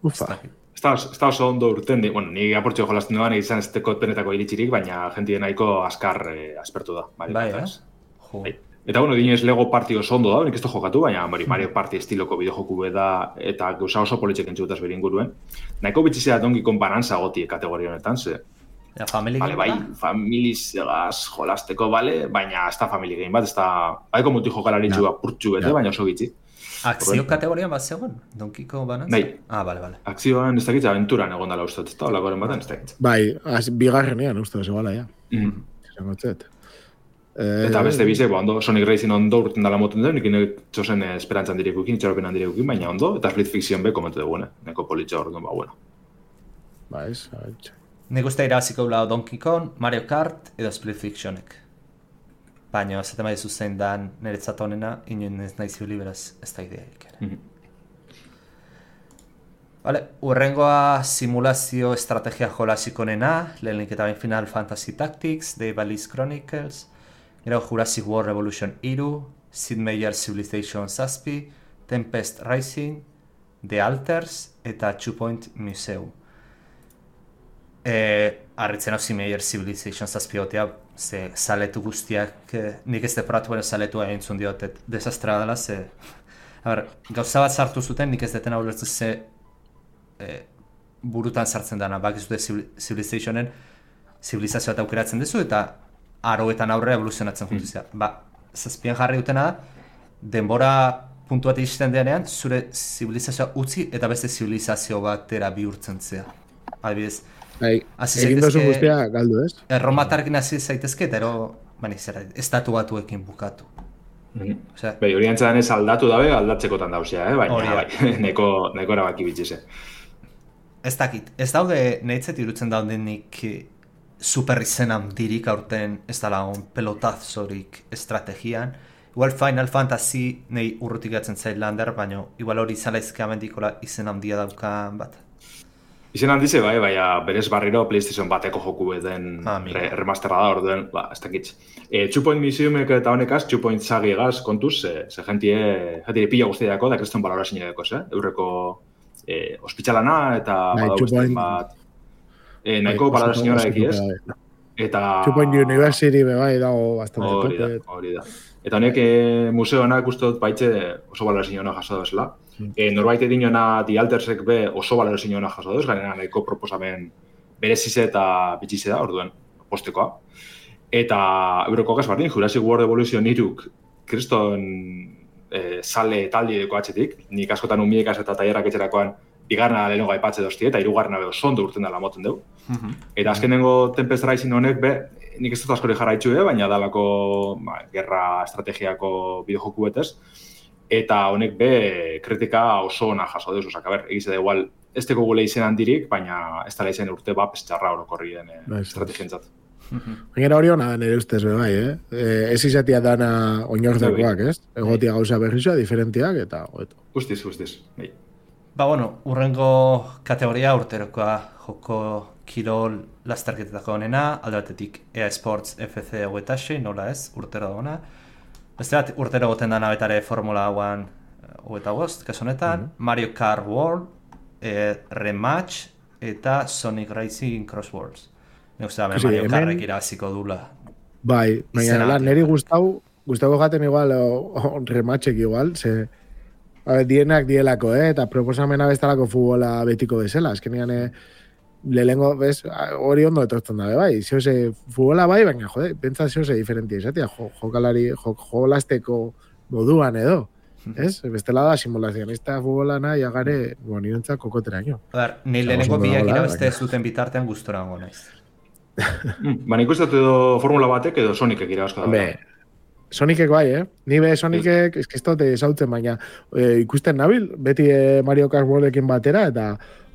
Speaker 3: Ufa.
Speaker 4: Ez da oso ondo urten, bueno, ni aportxo jolazten duan izan ez teko penetako iritsirik, baina jentien nahiko askar eh, aspertu da. Mario
Speaker 5: bai,
Speaker 4: eh?
Speaker 5: Jo.
Speaker 4: Bai. Eta, bueno, dinez Lego Party oso ondo da, nik ez da jokatu, baina Mario Party estiloko bideojoku da eta gauza oso politxek entzutaz bere inguruen. Nahiko bitxizea Donkey Kong Bonanza goti kategoria honetan, ze...
Speaker 5: Ja, family
Speaker 4: vale,
Speaker 5: game
Speaker 4: bai, familiz egaz jolasteko, bale, baina ez da family game bat, ez da... Baiko mutu jokalaritxu ja. Apurtxu bete, ja. Baina oso bitxi.
Speaker 5: Akzio kategorian bat zegoen? Donkey Kong Bonanza?
Speaker 4: Bai.
Speaker 5: Ah, bale, bale.
Speaker 4: Akzioan ez dakitza, aventuran egon dala ustat, ez da, olakoren baten ez dakitza.
Speaker 3: Bai, az, bigarrenean uste, zegala, ja.
Speaker 4: Mm.
Speaker 3: Zangotzet.
Speaker 4: Eta beste bize, ba, ondo, Sonic Racing ondo urten dala moten duen, nikin txosen esperantzan direkukin, itxaropenan direkukin, baina ondo, eta Split Fiction be komentu dugu, neko politxa hor duen, ba, bueno.
Speaker 3: Ba, ez, abetxe.
Speaker 5: Nik uste irabaziko gula Donkey Kong, Mario Kart edo Split Fictionek. Baina, zaten bai zuzen dan niretzat honena, inoen ez nahi zibili beraz ez da ideaik ere. Mm-hmm. Vale, urrengoa simulazio estrategia jolasiko nena, lehenik eta bain Final Fantasy Tactics, The Ballis Chronicles, gero Jurassic World Revolution iru, Sid Meier Civilization zazpi, Tempest Rising, The Alters eta Two Point Museum. Eh, arritzen hau Sid Meier Civilization zazpiotea, ze saletu guztiak, eh, nik ez deporatu bera saletua entzun diotet, desastra dela, ze... A ber, gauza bat sartu zuten, nik ez deten hau lertzen ze eh, burutan sartzen dana, bak ez dute Civilizationen zibilizazioa eta aukeratzen duzu, eta aroetan aurre evoluzionatzen mm. jutuzia. Ba, zazpian jarri dutena da, denbora puntu bat izten denean, zure zibilizazioa utzi eta beste zibilizazio batera bihurtzen zea. Adibidez,
Speaker 3: Bai, egin dozu guztia galdu, ez?
Speaker 5: Erromatarkin hasi zaitezke, eta ero, bani, zera, estatu batuekin bukatu.
Speaker 4: Mm-hmm. Osea, bai, hori antzadan ez aldatu dabe, aldatzekotan dauzea, eh? Baina,
Speaker 5: Oria.
Speaker 4: bai, neko, neko erabaki bitxize.
Speaker 5: Ez dakit, ez daude, nahitzet irutzen daudenik super izen handirik aurten ez dala on pelotazorik estrategian. Igual Final Fantasy nahi urrutik gatzen zait lander, baina igual hori zalaizke amendikola izen handia daukan bat.
Speaker 4: Izen handize, bai, baina berez barriro PlayStation bateko joku beden
Speaker 5: ah,
Speaker 4: re, remasterra da, orduen, ba, ez dakitz. E, Two Point Museumek eta honekaz, Two Point Sagiegaz kontuz, ze, ze jentie, jentie pila guztiako, da kriston balora sinedeko, eh? Eurreko e, ospitsalana eta badau beste bat... E, nahiko balora sinora eki, ez? Eta...
Speaker 3: Two Point University be bai dago bastante
Speaker 4: hori da, hori da. Eta honek e, museonak uste dut baitxe oso balora sinona jaso dozela. Mm. E, norbait edinona The Altersek be oso balora sinona jaso doz, gainera nahiko proposamen berezize eta bitxize da, orduen, postekoa. Eta euroko gaz bardin, Jurassic World Evolution iruk kriston e, sale taldi edeko atxetik, nik askotan umiekaz eta tailerrak etxerakoan bigarna lehenengo aipatze doztie, eta hirugarrena be oso ondo urten dela moten dugu. Mm-hmm. Eta azkenengo Tempest Rising honek be, nik ez dut askori jarraitzu, eh? Baina dalako ba, gerra estrategiako bideojoku betez. Eta honek be kritika oso ona jaso duz, osak, a ber, egize da igual, ez teko gule izen handirik, baina ez dara izen urte bat pestxarra orokorri den eh, estrategientzat.
Speaker 3: Baina hori hona nire ustez be bai, eh? Ez izatea dana oinordakoak, ez? Egotia gauza berrizua, diferentiak, eta hoeto.
Speaker 4: Guztiz, guztiz, bai.
Speaker 5: Ba, bueno, urrengo kategoria urterokoa joko kirol lasterketetako honena, alde batetik E A Sports F C hogeita sei, nola ez, urtero dagoena. Beste bat, urtero goten dana betare Formula One hogeita bost, kaso honetan, mm-hmm. Mario Kart World, eh, Rematch eta Sonic Racing Cross Worlds. Nik uste da, Mario hemen... Kartek irabaziko dula.
Speaker 3: Bai, baina niri gustau, gustau gaten igual, o, o, Rematchek igual, ze... A ver, dienak dielako, eh? Eta proposamena bestalako futbola betiko bezala. Azkenean, eh, lehengo, bez, hori ondo etortzen dabe, bai, zehoze, futbola bai, baina, jode, pentsa zehoze diferentia izatea, jo, jokalari, jo, jolasteko moduan edo, ez? Bestela da, simulazionista futbolana, jagare, bueno, nirentzak kokotera ino.
Speaker 5: Ber, ni lehenengo biak irabazte ez duten bitartean gustora hango naiz.
Speaker 4: Ba, nik uste edo Formula batek edo Sonicek irabazko da.
Speaker 3: Sonicek bai, eh? Ni be Sonicek, ez estote esautzen, baina e, ikusten nabil, beti e, Mario Kart Worldekin batera, eta,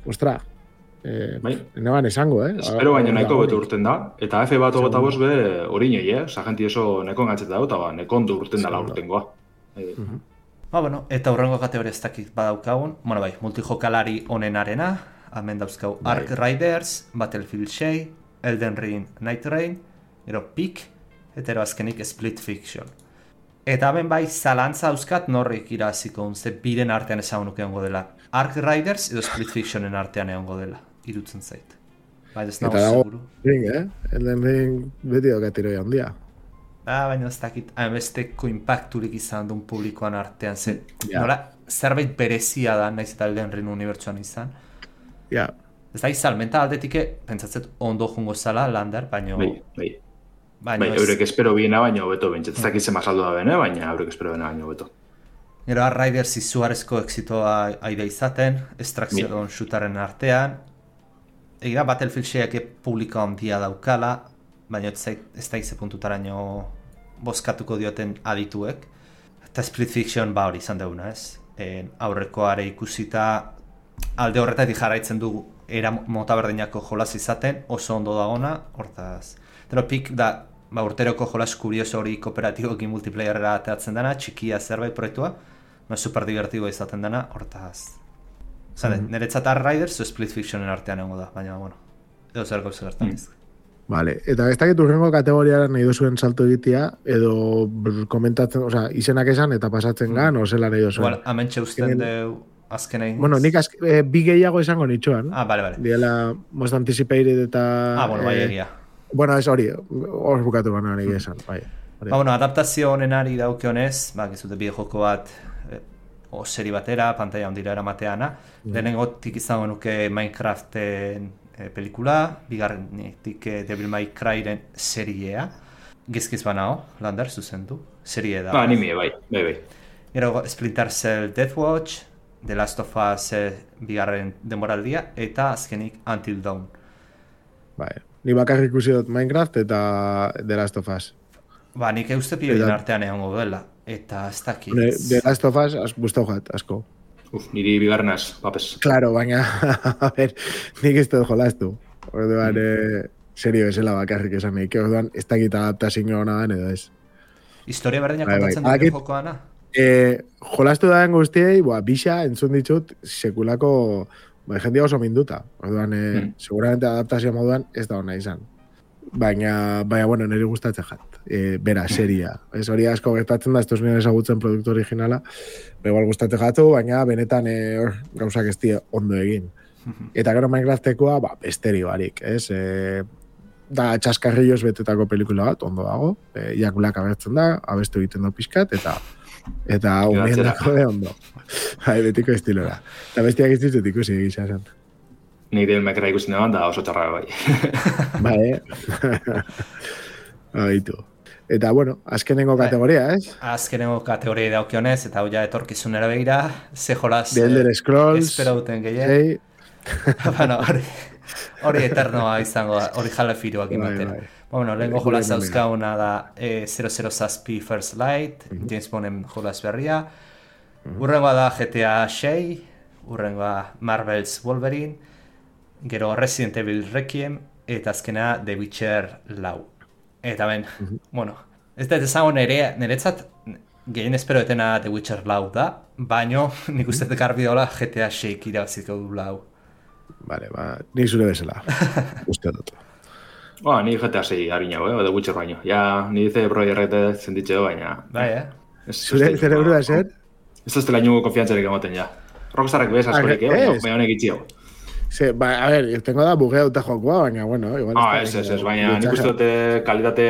Speaker 3: ostra, e, bai. Neban esango, eh?
Speaker 4: Espero baina nahiko betu urten da, eta F bat ogota boz be hori nioi, eh? Sagenti oso neko engatzeta da, eta ba, neko ondo urten dala urtengoa. E.
Speaker 5: Uh-huh. Ba, bueno, eta hurrengo kategoria ez dakit badaukagun, bueno, bai, multijokalari onenarena, hemen dauzkau bai. Ark Riders, Battlefield sei, Elden Ring Night Rain, ero Peak, eta ero azkenik Split Fiction. Eta hemen bai, zalantza dauzkat norrik iraziko unze biren artean ezagunuke egongo dela. Ark Riders edo Split Fictionen artean egongo dela, irutzen zait. Bai, ez nago seguru.
Speaker 3: Ring, eh? Elden Ring beti dokatiroi handia.
Speaker 5: Ba, baina ez dakit, hainbesteko impacturik izan duen publikoan artean, zen, ja. Nola, zerbait berezia da, naiz eta Elden Ring unibertsuan izan.
Speaker 3: Ja.
Speaker 5: Ez da izan, mental aldetik, pentsatzet ondo jungo zala, Lander, baina...
Speaker 4: Bai, bai. Baina ez... eurek espero biena baina hobeto bentset. Ez dakit zema saldo da bene, baina eurek espero biena baina hobeto.
Speaker 5: Gero, Ark Riders izugarezko exitoa aide izaten, Extraction shootaren artean. Egira, Battlefield seiak publiko handia daukala, baina ez da ize puntutaraino bozkatuko dioten adituek. Eta Split Fiction ba hori izan deuna, ez? En, aurrekoare ikusita alde horretatik jarraitzen du era mota berdinako jolas izaten, oso ondo dagona, hortaz. Pero Peak da, ba, urteroko jolas kurioso hori kooperatiboekin multiplayerera ateatzen dena, txikia zerbait proiektua, ba, super divertigo izaten dena, hortaz. Zade, mm-hmm. Niretzat Ark Riders o Split Fictionen artean egongo da, baina, bueno, edo zer gauza gertan ez.
Speaker 3: Vale, eta ez dakit urrengo kategoriara nahi duzuen salto egitea, edo komentatzen, oza, izenak esan eta pasatzen mm. gan, o zela nahi duzuen.
Speaker 5: Igual, hemen txeusten deu azkenei.
Speaker 3: Bueno, nik azke, e, bi gehiago esango nitxoan.
Speaker 5: Ah, bale, bale.
Speaker 3: Diela most anticipated eta...
Speaker 5: Ah, bueno, bai, egia.
Speaker 3: Bueno, ez hori, hor bukatu gana nahi esan, bai.
Speaker 5: Ba, bueno, adaptazio honenari dauke honez, ba, gizute bide joko bat, e, o seri batera, pantalla ondira eramateana. Mm. Lehenengotik izango nuke Minecraften e, pelikula, bigarrenetik e, Devil May Cryren seriea. Gizkiz banao, Lander, zuzendu. Serie da.
Speaker 4: Ba, anime, bai, bai, bai.
Speaker 5: Gero Splinter Cell Deathwatch, The Last of Us e, bigarren denboraldia, eta azkenik Until Dawn.
Speaker 3: Bai, ni bakarrik ikusi dut Minecraft eta The Last of Us.
Speaker 5: Ba, nik euste pioien artean egongo duela, eta ez dakit.
Speaker 3: The Last of Us, gustau jat, asko.
Speaker 4: Uf, niri bigarrenaz, papes.
Speaker 3: Claro, baina, a ver, nik ez dut jolaztu. Orduan, mm. eh, serio esela bakarrik esan nik, orduan, ez dakit adaptazio hona den edo ez.
Speaker 5: Historia berdinak kontatzen bai, bai. Dut jokoana?
Speaker 3: Eh, jolastu da den guztiei, boa, bisa entzun ditut sekulako, bai, jendia oso minduta. Orduan, eh, mm. seguramente adaptazio moduan ez da hona izan. Baina, baina, bueno, niri gustatzen jat. E, bera, seria. Ez hori asko gertatzen da, ez duz nire ezagutzen produktu originala. Igual gustatzen jatu, baina benetan e, or, gauzak ez die ondo egin. Eta gero Minecraftekoa, ba, besteri barik, ez? E, da, txaskarrilloz betetako pelikula bat, ondo dago. E, Iakulak abertzen da, abestu egiten du pixkat, eta eta umien dako de ondo. Hai, betiko estilora. Eta bestiak ez ditut ikusi egisa zen.
Speaker 4: Nik Devil May Cry ikusten eban, da oso txarra bai.
Speaker 3: Bai, eh? Baitu. Eta, bueno, azkenengo kategoria, ez?
Speaker 5: Azkenengo kategoria daukionez, eta hau ja etorkizunera begira, ze jolaz...
Speaker 3: The Elder Scrolls...
Speaker 5: Espero duten gehien. Bueno, hori, hori eternoa izango da, hori jala firuak imaten. Bai, bai. Bueno, lehenko jolaz dauzkauna da eh, zero zero Zazpi First Light, uh-huh. James Bonden jolaz berria. Uh-huh. Urrengoa da G T A sei, urrengoa Marvel's Wolverine, gero Resident Evil Requiem, eta azkena The Witcher lau. Eta ben, uh-huh. bueno, ez da ezago nire, niretzat gehien espero etena The Witcher lau da, baino nik uste garbi dola G T A sei irabaziko du lau.
Speaker 3: Vale, ba, nik zure bezala, uste dut.
Speaker 4: Ba, ni G T A sei harinago, eh, The Witcher baino. Ja, ni dice proierrete zenditxeo, baina...
Speaker 5: Bai, eh?
Speaker 3: Zure zerebru da zer?
Speaker 4: Ez da estela inungo konfiantzarik emoten, ja. Rockstarrak bez askorik, eh, baina, baina honek itxio.
Speaker 3: Sí, ba, a ver, tengo da bugeauta jokoa, baina, bueno, igual...
Speaker 4: Ah, ez, ez, ez, baina nik uste dute kalitate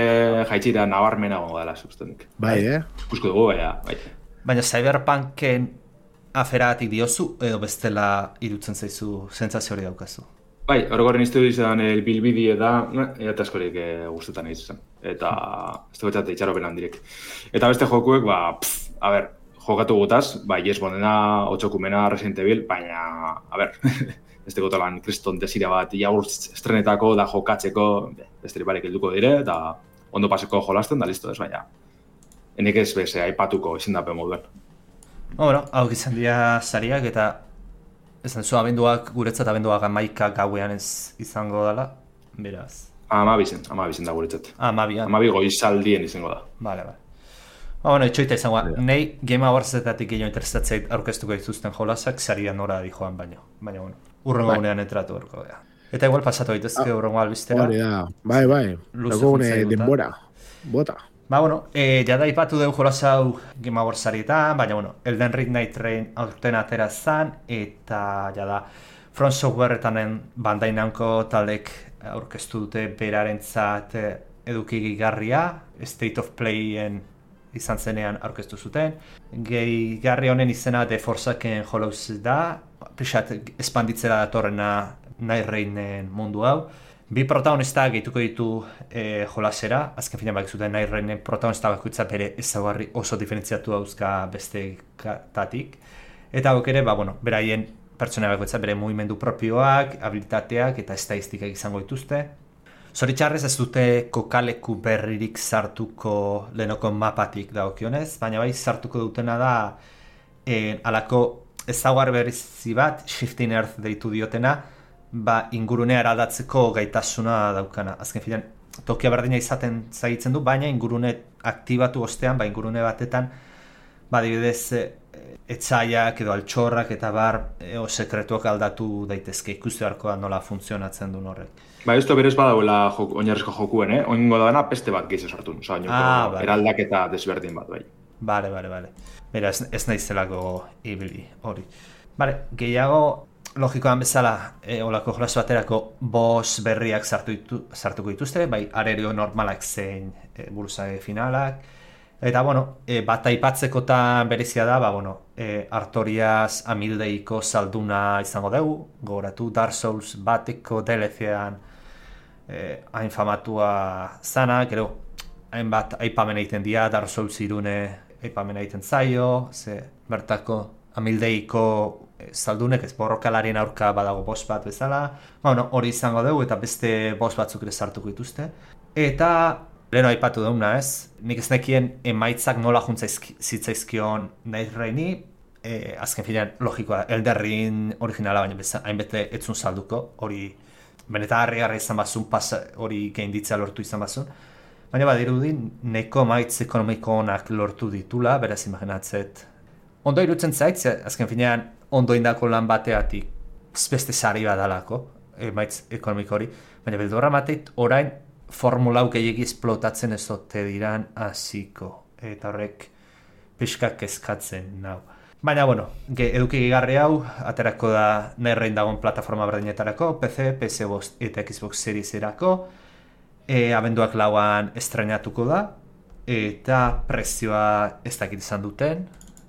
Speaker 4: jaitxira nabarmena gongo dela, sustenik.
Speaker 3: Bai, eh?
Speaker 4: Ikusko dugu, baina, bai.
Speaker 5: Baina Cyberpunken aferatik diozu, edo bestela irutzen zaizu sentsazio hori daukazu?
Speaker 4: Bai, orokorren izte du izan el bilbidie da, eta askorik e, guztetan egin zen. Eta ez dugu txate itxaropen handirek. Eta beste jokuek, ba, pff, a ber, jokatu gutaz, bai, Yes Bondena, Otxokumena, Resident Evil, baina, a ber, ez dugu talan kriston desira bat, jagur estrenetako da jokatzeko, beste ribarek helduko dire, eta ondo paseko jolasten, da listo ez, baina. Enek ez beze, aipatuko izendapen moduen.
Speaker 5: Bueno, hau izan dira sariak eta esan zu abenduak, guretzat abenduak amaika gauean ez izango dela, beraz.
Speaker 4: Amabizen, amabizen da guretzat.
Speaker 5: Amabian.
Speaker 4: Amabi goizaldien izango da.
Speaker 5: Bale, bale. Ba, bueno, itxoita izango, yeah. Nei Game Awardsetatik gehiago interesatzeit aurkeztuko dituzten jolasak, saria nora di joan baino. Baina, bueno, urrengo gunean entratu horko da. Eta igual pasatu daitezke ah, urrengo albistera.
Speaker 3: Hori da, bai, bai, dago gune denbora, bota.
Speaker 5: Ba, bueno, e, jada ipatu dugu jolasau Game Awards sarietan, baina, bueno, Elden Ring Night Train aurten atera zan, eta jada From Softwaretanen Bandai Namco taldek aurkeztu dute berarentzat eduki gigarria, State of Playen izan zenean aurkeztu zuten. Gehigarri honen izena The Forsaken Hollows da, pixat espanditzera datorrena Night Rainen mundu hau. Bi protagonista gehituko ditu e, jolasera, azken finean bak zuten Night Rainen protagonista bakoitza bere ezaugarri oso diferentziatu dauzka bestetatik. Eta hau ere, ba, bueno, beraien pertsona bakoitza bere mugimendu propioak, habilitateak eta estadistikak izango dituzte. Zoritxarrez ez dute kokaleku berririk sartuko lehenoko mapatik dagokionez, baina bai sartuko dutena da e, alako ezaugarri berrizi bat, Shifting Earth deitu diotena, ba, ingurunea eraldatzeko gaitasuna daukana. Azken filan, tokia berdina izaten zaitzen du, baina ingurune aktibatu ostean, ba, ingurune batetan, ba, dibidez, e, etxaiak edo altxorrak eta bar, e, o sekretuak aldatu daitezke, ikuste beharko da nola funtzionatzen duen horrek.
Speaker 4: Ba, ez berez badauela jok, oinarrizko jokuen, eh? Oingo dagoena peste bat gehiago sartu, oza, ah, vale. Eraldaketa desberdin bat, bai.
Speaker 5: Bale, bale, bale. Bera, ez, ez nahizelako ibili, hori. Bale, gehiago, logikoan bezala, e, olako jolasu baterako boss berriak sartu ditu, sartuko dituzte, bai arerio normalak zein e, buruzage finalak. Eta, bueno, e, bat aipatzekotan berezia da, ba, bueno, e, Artorias amildeiko salduna izango dugu, gogoratu Dark Souls bateko D L C-an e, hain famatua zana, gero, hainbat aipamen egiten dira, Dark Souls irune aipamen egiten zaio, ze bertako amildeiko saldunek ez borrokalarien aurka badago boss bat bezala, bueno, hori izango dugu eta beste boss batzuk ere sartuko dituzte. Eta leheno aipatu duguna ez, nik ez nekien emaitzak nola juntzaizkion Night Raini, e, azken finean logikoa, Elden Ring originala baina hainbete etzun salduko, hori benetan harri-harri izan bazun, hori gainditzea lortu izan bazun, baina badirudi neko emaitz ekonomiko onak lortu ditula, beraz imaginatzet. Ondo irutzen zait, azken finean ondo indako lan bateatik beste sari badalako, emaitz ekonomiko hori, baina beldurra mateit orain formula hau gehiagi esplotatzen ez ote diran hasiko, eta horrek pixkak kezkatzen nau. Baina, bueno, eduki gigarri hau, aterako da Night dagoen plataforma berdinetarako, P C, P S bost eta Xbox Series erako, e, abenduak lauan estrenatuko da, eta prezioa ez dakit izan duten,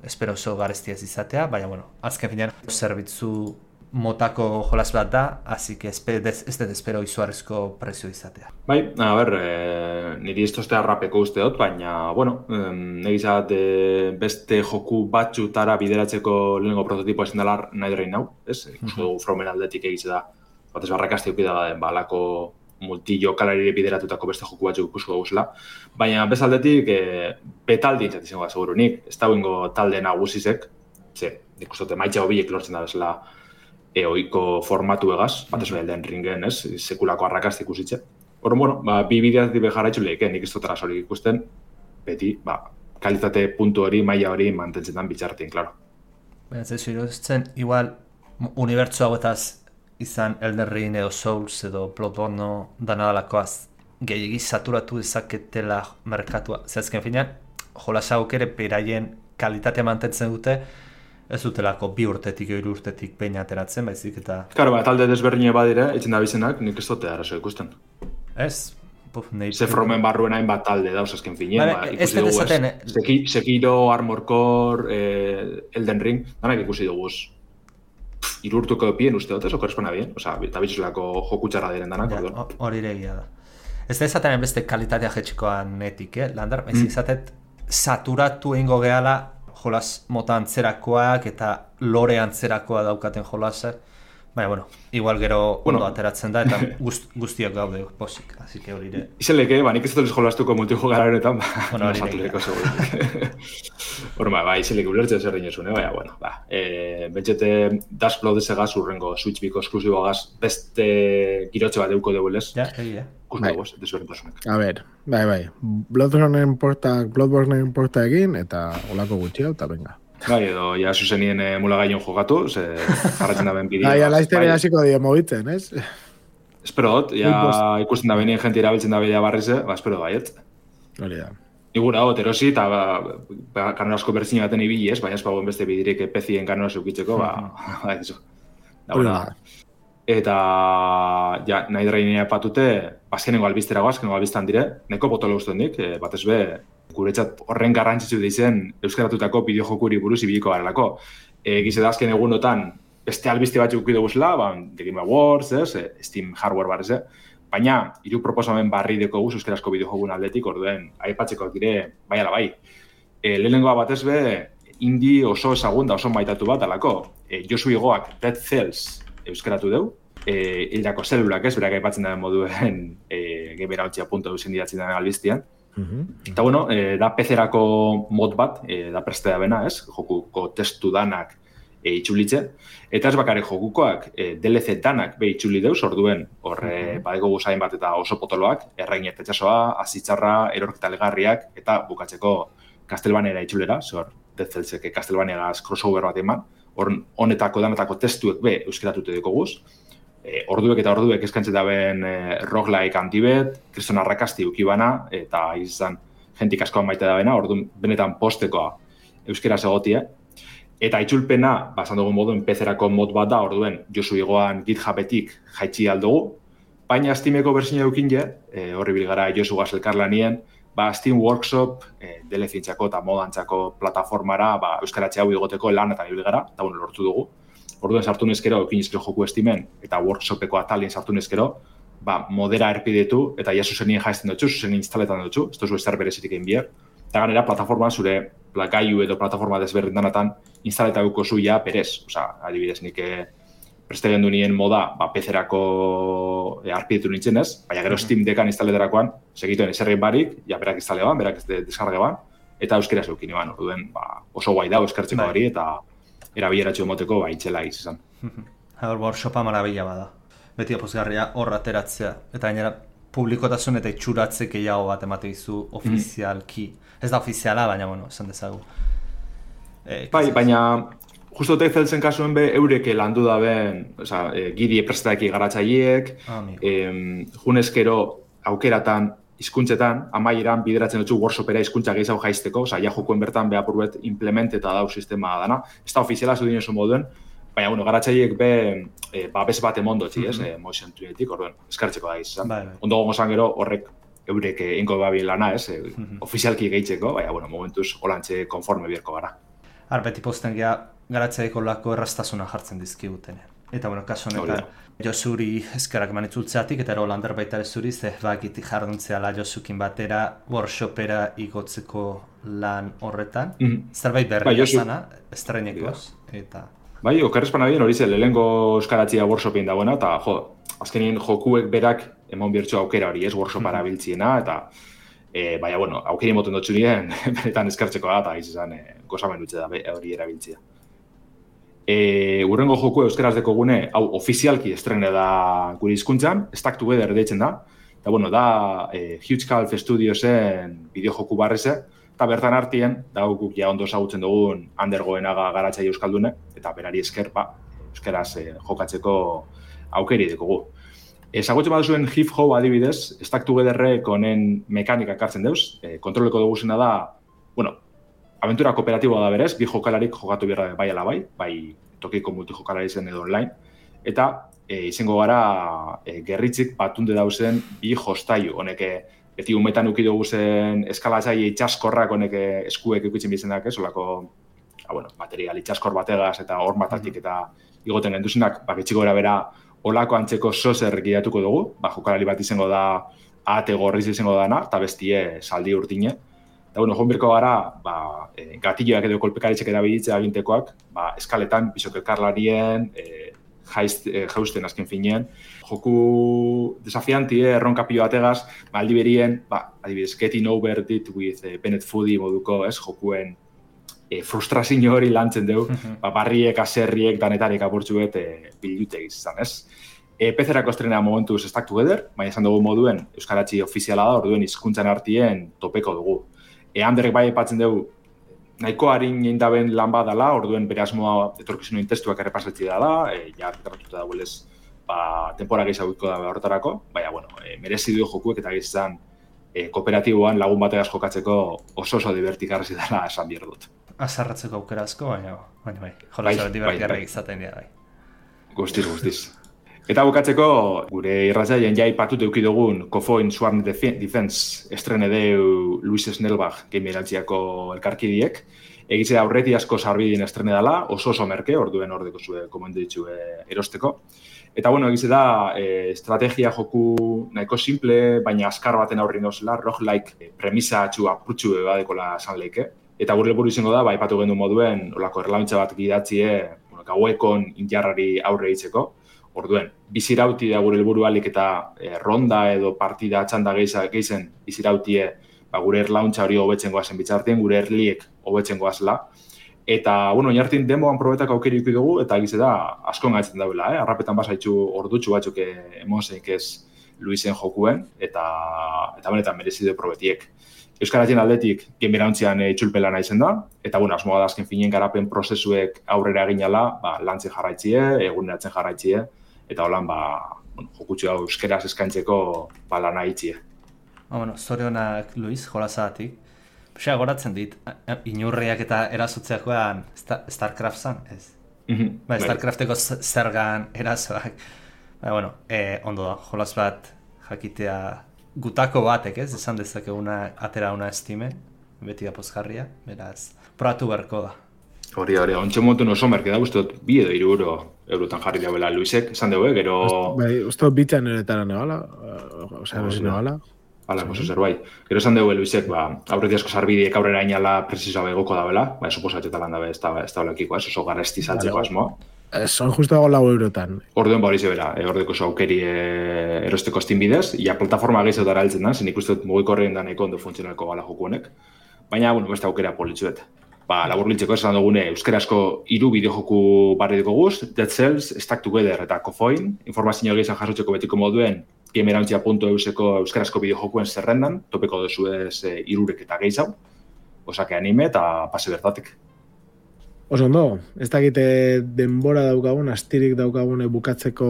Speaker 5: espero oso gareztia ez izatea, baina, bueno, azken finean zerbitzu motako jolas bat da, así que ez dut espero izugarrizko prezio izatea.
Speaker 4: Bai, a ber, e, niri ez toztea rapeko uste dut, baina, bueno, e, negizat e, beste joku batxutara bideratzeko lehenengo prototipo ezin dela Night Rain hau, ez? Ikusko dugu Fromen aldetik egize da, batez barrakazte eukida da, balako multi-jokalari bideratutako beste joku batzuk ikusko guzela, baina bezaldetik e, betaldi entzat izango da, segurunik, ez da guingo talde nagusizek, ze, ikustote maitxa hobiek lortzen da bezala e, oiko formatu egaz, batez mm-hmm. Elden Ringen, ez, sekulako arrakazte ikusitze. Hor, bueno, ba, bi bideaz dibe jarraitzu lehike, nik ez dut arazorik ikusten, beti, ba, kalitate puntu hori, maila hori mantentzetan bitxartin, klaro.
Speaker 5: Baina, ez iruditzen, igual, unibertsu hauetaz izan Elden Ring edo Souls edo Bloodborne danadalakoaz gehiagi saturatu dezaketela merkatua. Zehazken finean, jolasagok ere beraien kalitatea mantentzen dute, ez dutelako bi urtetik, hiru urtetik behin ateratzen, baizik eta...
Speaker 4: Karo, ba, talde desberdine badire, etxen da bizenak, nik ez dute arazo ikusten.
Speaker 5: Ez? Puf, nahi...
Speaker 4: Ze Fromen barruen hain bat talde dauz azken finean, ba, ikusi dugu
Speaker 5: ez.
Speaker 4: Seki, Sekiro, Armor Core, eh, Elden Ring, danak ikusi dugu. irurtuko dopien uste dut, eso korrespona bien, oza, eta bitxuselako joku txarra diren danak,
Speaker 5: ja,
Speaker 4: orduan.
Speaker 5: Hori egia da. Ez da izaten beste kalitatea jetxikoan netik, eh? Lander, ez mm. izatet saturatu ingo gehala jolas mota antzerakoak eta lore antzerakoa daukaten jolasak. Baina, bueno, igual gero bueno, ondo ateratzen da eta gust, guztiak gaude posik, así que hori ere.
Speaker 4: Izeleke, ba, nik ez dut jolastuko multijogara honetan, ba,
Speaker 5: bueno,
Speaker 4: satureko segurik. Horma, ba, izeleke ulertzen zer dinosune, baina, bueno, ba, e, betxete Dashblood ezegaz urrengo Switch biko esklusibogaz beste girotxe bat euko deuelez.
Speaker 5: Ja, egia.
Speaker 4: Kusme goz, desberdintasunek.
Speaker 3: A ber, bai, bai, Bloodborne portak, Bloodborne porta egin eta olako gutxi hau, eta venga.
Speaker 4: Bai, edo, ja, zuzenien e, mulagaion jogatu, ze jarratzen da ben bideo.
Speaker 3: Bai, alaiztere hasiko dio mogitzen, ez?
Speaker 4: Espero dut, ja ikusten da benien jenti erabiltzen da bidea barrize, ba, espero baiet.
Speaker 3: Hori da.
Speaker 4: Igura hot, erosi, eta ba, ba, kanorasko berzin baten ibili ez, baina ez bagoen beste bidirik pezien kanoraz eukitzeko, ba, ba, ez da, da. Eta, ja, nahi drainea epatute, azkenengo albizterago, azkenengo albiztan dire, neko botolo usten dik, e, batez be, guretzat horren garrantzitsu deizen euskaratutako bideojokuri buruz ibiliko garelako. E, Gize da azken egunotan, beste albizte batzuk ukidu guzela, ba, The Game Awards, ez, Steam Hardware barrez, baina, hiru proposamen barri deko guz euskarazko bideojogun aldetik, orduen, aipatzekoak dire, bai ala bai. E, lehenengoa batez be, indie oso ezagun da oso maitatu bat alako. E, Josu Igoak Dead Cells euskaratu deu, e, hildako zelulak ez, berak aipatzen da moduen e, gemerautxia punto eusen didatzen da albiztian.
Speaker 3: Mm-hmm.
Speaker 4: Eta bueno, e, da P C-erako mod bat, e, da preste da bena, ez? Jokuko testu danak e, itxulitze. Eta ez bakarrik jokukoak, e, D L C danak be itxuli deuz, orduen, horre mm-hmm. badeko guzain bat eta oso potoloak, errain ertetxasoa, azitzarra, erorketa legarriak, eta bukatzeko Castlevaniara itxulera, zor, Dead Cellsek Castlevaniagaz crossover bat eman, honetako danetako testuek be euskeratute deko guz. E, orduek eta orduek eskantzen daben e, roguelike antibet, kriston arrakasti ukibana, eta izan jentik askoan maite dabena, orduan benetan postekoa euskeraz egotie. Eta itzulpena, basan dugun moduen P C-erako mod bat da, orduen Josu Igoan GitHubetik jaitsi aldugu, baina Steameko berzina eukin je, e, horri bilgara Josu Gazelkarlanien, ba, Steam Workshop, e, D L C-entzako eta modantzako plataformara, ba, euskaratxe hau igoteko lan eta bilgara, eta bueno, lortu dugu. Orduan sartu neskero, eukin izkero joku estimen, eta workshopeko atalien sartu neskero, ba, modera erpidetu, eta ja zuzenien jaizten dutxu, zuzenien instaletan dutxu, ez duzu ezer berezirik egin bier. Eta ganera, plataforma zure gaiu edo plataforma desberdindanatan instaletatuko zu ja perez. Osa, adibidez, nik preste gendu nien moda, ba, P C-erako e, arpidetu nintzen ez, baina gero Steam Deckan instaleterakoan, segituen eserrein barik, ja berak instaleban, berak ez de, deskargeban, eta euskera zeukin eban, orduen, ba, oso guai da, euskartzeko hori, eta erabileratxo emoteko, ba, itxela izan.
Speaker 5: Hor, workshopa marabila bada. Beti apozgarria hor ateratzea. Eta gainera, publikotasun eta itxuratze gehiago bat emate izu ofizialki. Mm. Ez da ofiziala, baina, bueno, esan dezagu. E,
Speaker 4: bai, baina, justo Dead Cellsen kasuen be, eureke landu da ben, oza, e, gidi eprestaki garatzaileek,
Speaker 5: ah,
Speaker 4: e, junezkero aukeratan, hizkuntzetan amaieran bideratzen dutzu workshopera hizkuntza gehiago jaisteko, osea, ja jokoen bertan behapurbet implementeta dau sistema dana. Ez da ofiziala zu dinezu moduen, baina, bueno, garatzaileek be, e, ba, bez bat emondotzi, ez, mm-hmm. e, motion tunetik, orduen, eskartzeko da izan.
Speaker 5: Bai, bai.
Speaker 4: Ondo gongo zan gero, horrek eurek ingo babi lana, ez, e, mm-hmm. ofizialki gehitzeko, baina, bueno, momentuz, holantxe konforme bierko gara.
Speaker 5: Har, beti posten geha, garatzaileeko lako erraztasuna jartzen dizkigutenean. Eta, bueno, kasu honetan, Josuri eskerak manitzultzeatik, eta ero lander baita zuri, ze bakitik jarduntzeala Josukin batera, workshopera igotzeko lan horretan. Mm-hmm. Zerbait berri bai, zana, estrenekoz, eta...
Speaker 4: Bai, okerrezpana bien hori ze, lehenko euskaratzia workshopin dagoena, eta jo, azkenien jokuek berak emon biertxo aukera hori, ez, workshopara mm-hmm. biltziena, eta e, baina, bueno, aukeri moten dutxu nien, benetan eskertzeko da, eta izan e, gozamen dutxe da hori erabiltzia. E, urrengo joku euskaraz deko gune, hau ofizialki estrene da gure hizkuntzan, Stuck Together deitzen da, eta bueno, da e, Huge Calf Studiosen bideojoku barreze, eta bertan hartien, da guk ja ondo ezagutzen dugun Andergoenaga garatzaile euskaldune, eta berari esker, ba, euskaraz e, jokatzeko aukeri dekogu. Ezagutzen baduzuen Hip Ho adibidez, Stuck Togetherrek honen mekanika kartzen deuz, e, kontroleko dugu zena da, bueno, aventura kooperatiboa da berez, bi jokalarik jokatu behar bai ala bai, bai tokiko multijokalari zen edo online, eta e, izango gara e, gerritzik batunde dauzen bi jostailu, honek beti umetan ukidu zen eskalatzai itxaskorrak honek eskuek ikutzen bizenak, ez, olako ba, bueno, material itxaskor bategaz eta hor matatik eta igoten genduzenak, ba, gitxiko gara bera olako antzeko sozer gidatuko dugu, ba, jokalari bat izango da ate gorriz izango dana, eta bestie saldi urdine. Eta, bueno, joan birko gara, ba, e, gatilloak edo kolpekaritxek erabiltzea agintekoak, ba, eskaletan, bisokelkarlarien, e, jaiz, e, jausten azken finean, joku desafianti, eh, erronkapio bategaz, ba, aldi berien, ba, adibidez, getting over it with eh, Bennett Foodie moduko, ez, jokuen e, frustrazio hori lantzen dugu, ba, barriek, aserriek, danetarik apurtzu bet e, bilute izan, ez? E, P C-erako estrena momentuz Stack Together, baina esan dugu moduen Euskaratzi ofiziala da, orduen hizkuntzan artien topeko dugu. E, Anderrek bai epatzen dugu, nahiko harin eindaben lan badala, orduen bere asmoa etorkizunuen testuak errepasatzi dela, e, ja, erratuta dagoelez, ba, tempora gehiagoiko da horretarako, baina, bueno, e, merezi du jokuek eta gizan e, kooperatiboan lagun bategaz jokatzeko oso oso divertigarri dela esan bier dut.
Speaker 5: Azarratzeko aukera asko, baina, baina, bai, jolazio divertigarri izaten dira, bai.
Speaker 4: Guztiz, guztiz. Eta bukatzeko, gure irratzaien jai patut euki dugun Cofoin Swarm Defense estrene deu Luis Snellbach gamerantziako elkarkidiek. Egitzea aurreti asko sarbidin estrene dela, oso oso merke, orduen ordeko zue komendu ditzu erosteko. Eta, bueno, egize da, e, estrategia joku nahiko simple, baina askar baten aurri nozela, roguelike e, premisa atxu apurtxu ebadekola esan leike. Eta gure helburu izango da, ba, ipatu gendu moduen, olako erlauntza bat gidatzie, bueno, gauekon injarrari aurre hitzeko. Orduen, bizirauti da gure helburu alik eta e, ronda edo partida txanda gehizen bizirautie ba, gure erlauntza hori hobetzen goazen bitzartien, gure erliek hobetzen goazela. Eta, bueno, oinartin demoan probetak aukeri ikusi dugu, eta egize da, asko engaitzen daula, eh? Arrapetan basaitzu ordutxu batzuk emozeik ez Luisen jokuen, eta, eta benetan merezi du probetiek. Euskaratien aldetik, genberauntzian e, itxulpelana izen da, eta, bueno, asmoa da azken finien garapen prozesuek aurrera eginala, ba, lantzen jarraitzie, eguneratzen jarraitzie, eta holan, ba, bueno, jokutxu hau euskeraz eskaintzeko ba, lana itzie.
Speaker 5: Ba, bueno, zorionak, Luis, jolazagatik. Pixea goratzen dit, inurriak eta erasotzeakoan Starcraft zan, ez?
Speaker 4: Mm-hmm.
Speaker 5: Ba, Starcrafteko zergan erasoak. Ba, bueno, e, ondo da, jolaz bat jakitea gutako batek, ez? Esan dezakeguna atera una estime, beti da pozgarria, beraz, probatu berko da.
Speaker 4: Hori, hori, ontxe montun oso merke da, uste dut, bi edo hiru euro eurotan jarri dabela Luisek, esan dugu, gero...
Speaker 3: Bai, uste dut bitan eretara nebala, osea, no, nebala.
Speaker 4: Hala, oso zerbait. Gero esan dugu Luisek, ba, aurreti asko sarbideek aurrera inala presizoa begoko dabela, ba, eso posatxeta lan dabe, ez da, ez da olekiko, ez, oso garesti saltzeko asmoa.
Speaker 3: Son justo dago lau eurotan.
Speaker 4: Orduen ba hori zebera, e, ordeko oso aukeri e, erosteko Steam bidez, ja plataforma gehiago dara heltzen da, zen ikusten dut mugikorrean da nahiko ondo funtzionalko gala joku honek. Baina, bueno, beste aukera politzuet. Ba, labur biltzeko esan dugune, euskarazko hiru bideojoku barri dugu guz, Dead Cells, Stack Together eta Cofoin, informazio gehizan jasotzeko betiko moduen, gamerantzia puntu euseko euskarazko bideojokuen zerrendan, topeko duzu ez e, irurek eta gehizau, osake anime eta pase bertatik.
Speaker 3: Oso ondo, ez dakite denbora daukagun, astirik daukagune bukatzeko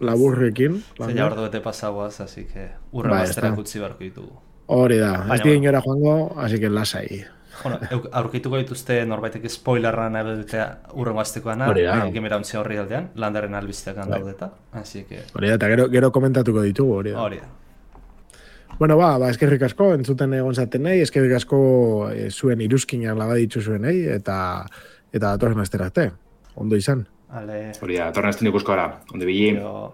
Speaker 3: laburrekin.
Speaker 5: Zeia ordu bete pasagoaz, así que urra ba, bazterak utzi barko ditugu.
Speaker 3: Hori da, ez di inora joango, así que lasai.
Speaker 5: Bueno, aurkituko dituzte norbaitek spoilerran ebetea urrengo aztekoana, gemerauntzia horri aldean, landaren albizteak handaudeta, así que...
Speaker 3: Hori da, eta gero, gero komentatuko ditugu, hori da.
Speaker 5: Hori da.
Speaker 3: Bueno, ba, ba, eskerrik asko, entzuten egon zaten nahi, eskerrik asko e, zuen iruzkinan lagaditzu zuen nahi, eta eta datorren asterate, ondo izan.
Speaker 5: Ale...
Speaker 4: Hori da, datorren asten ikusko gara, ondo bili.
Speaker 5: Yo...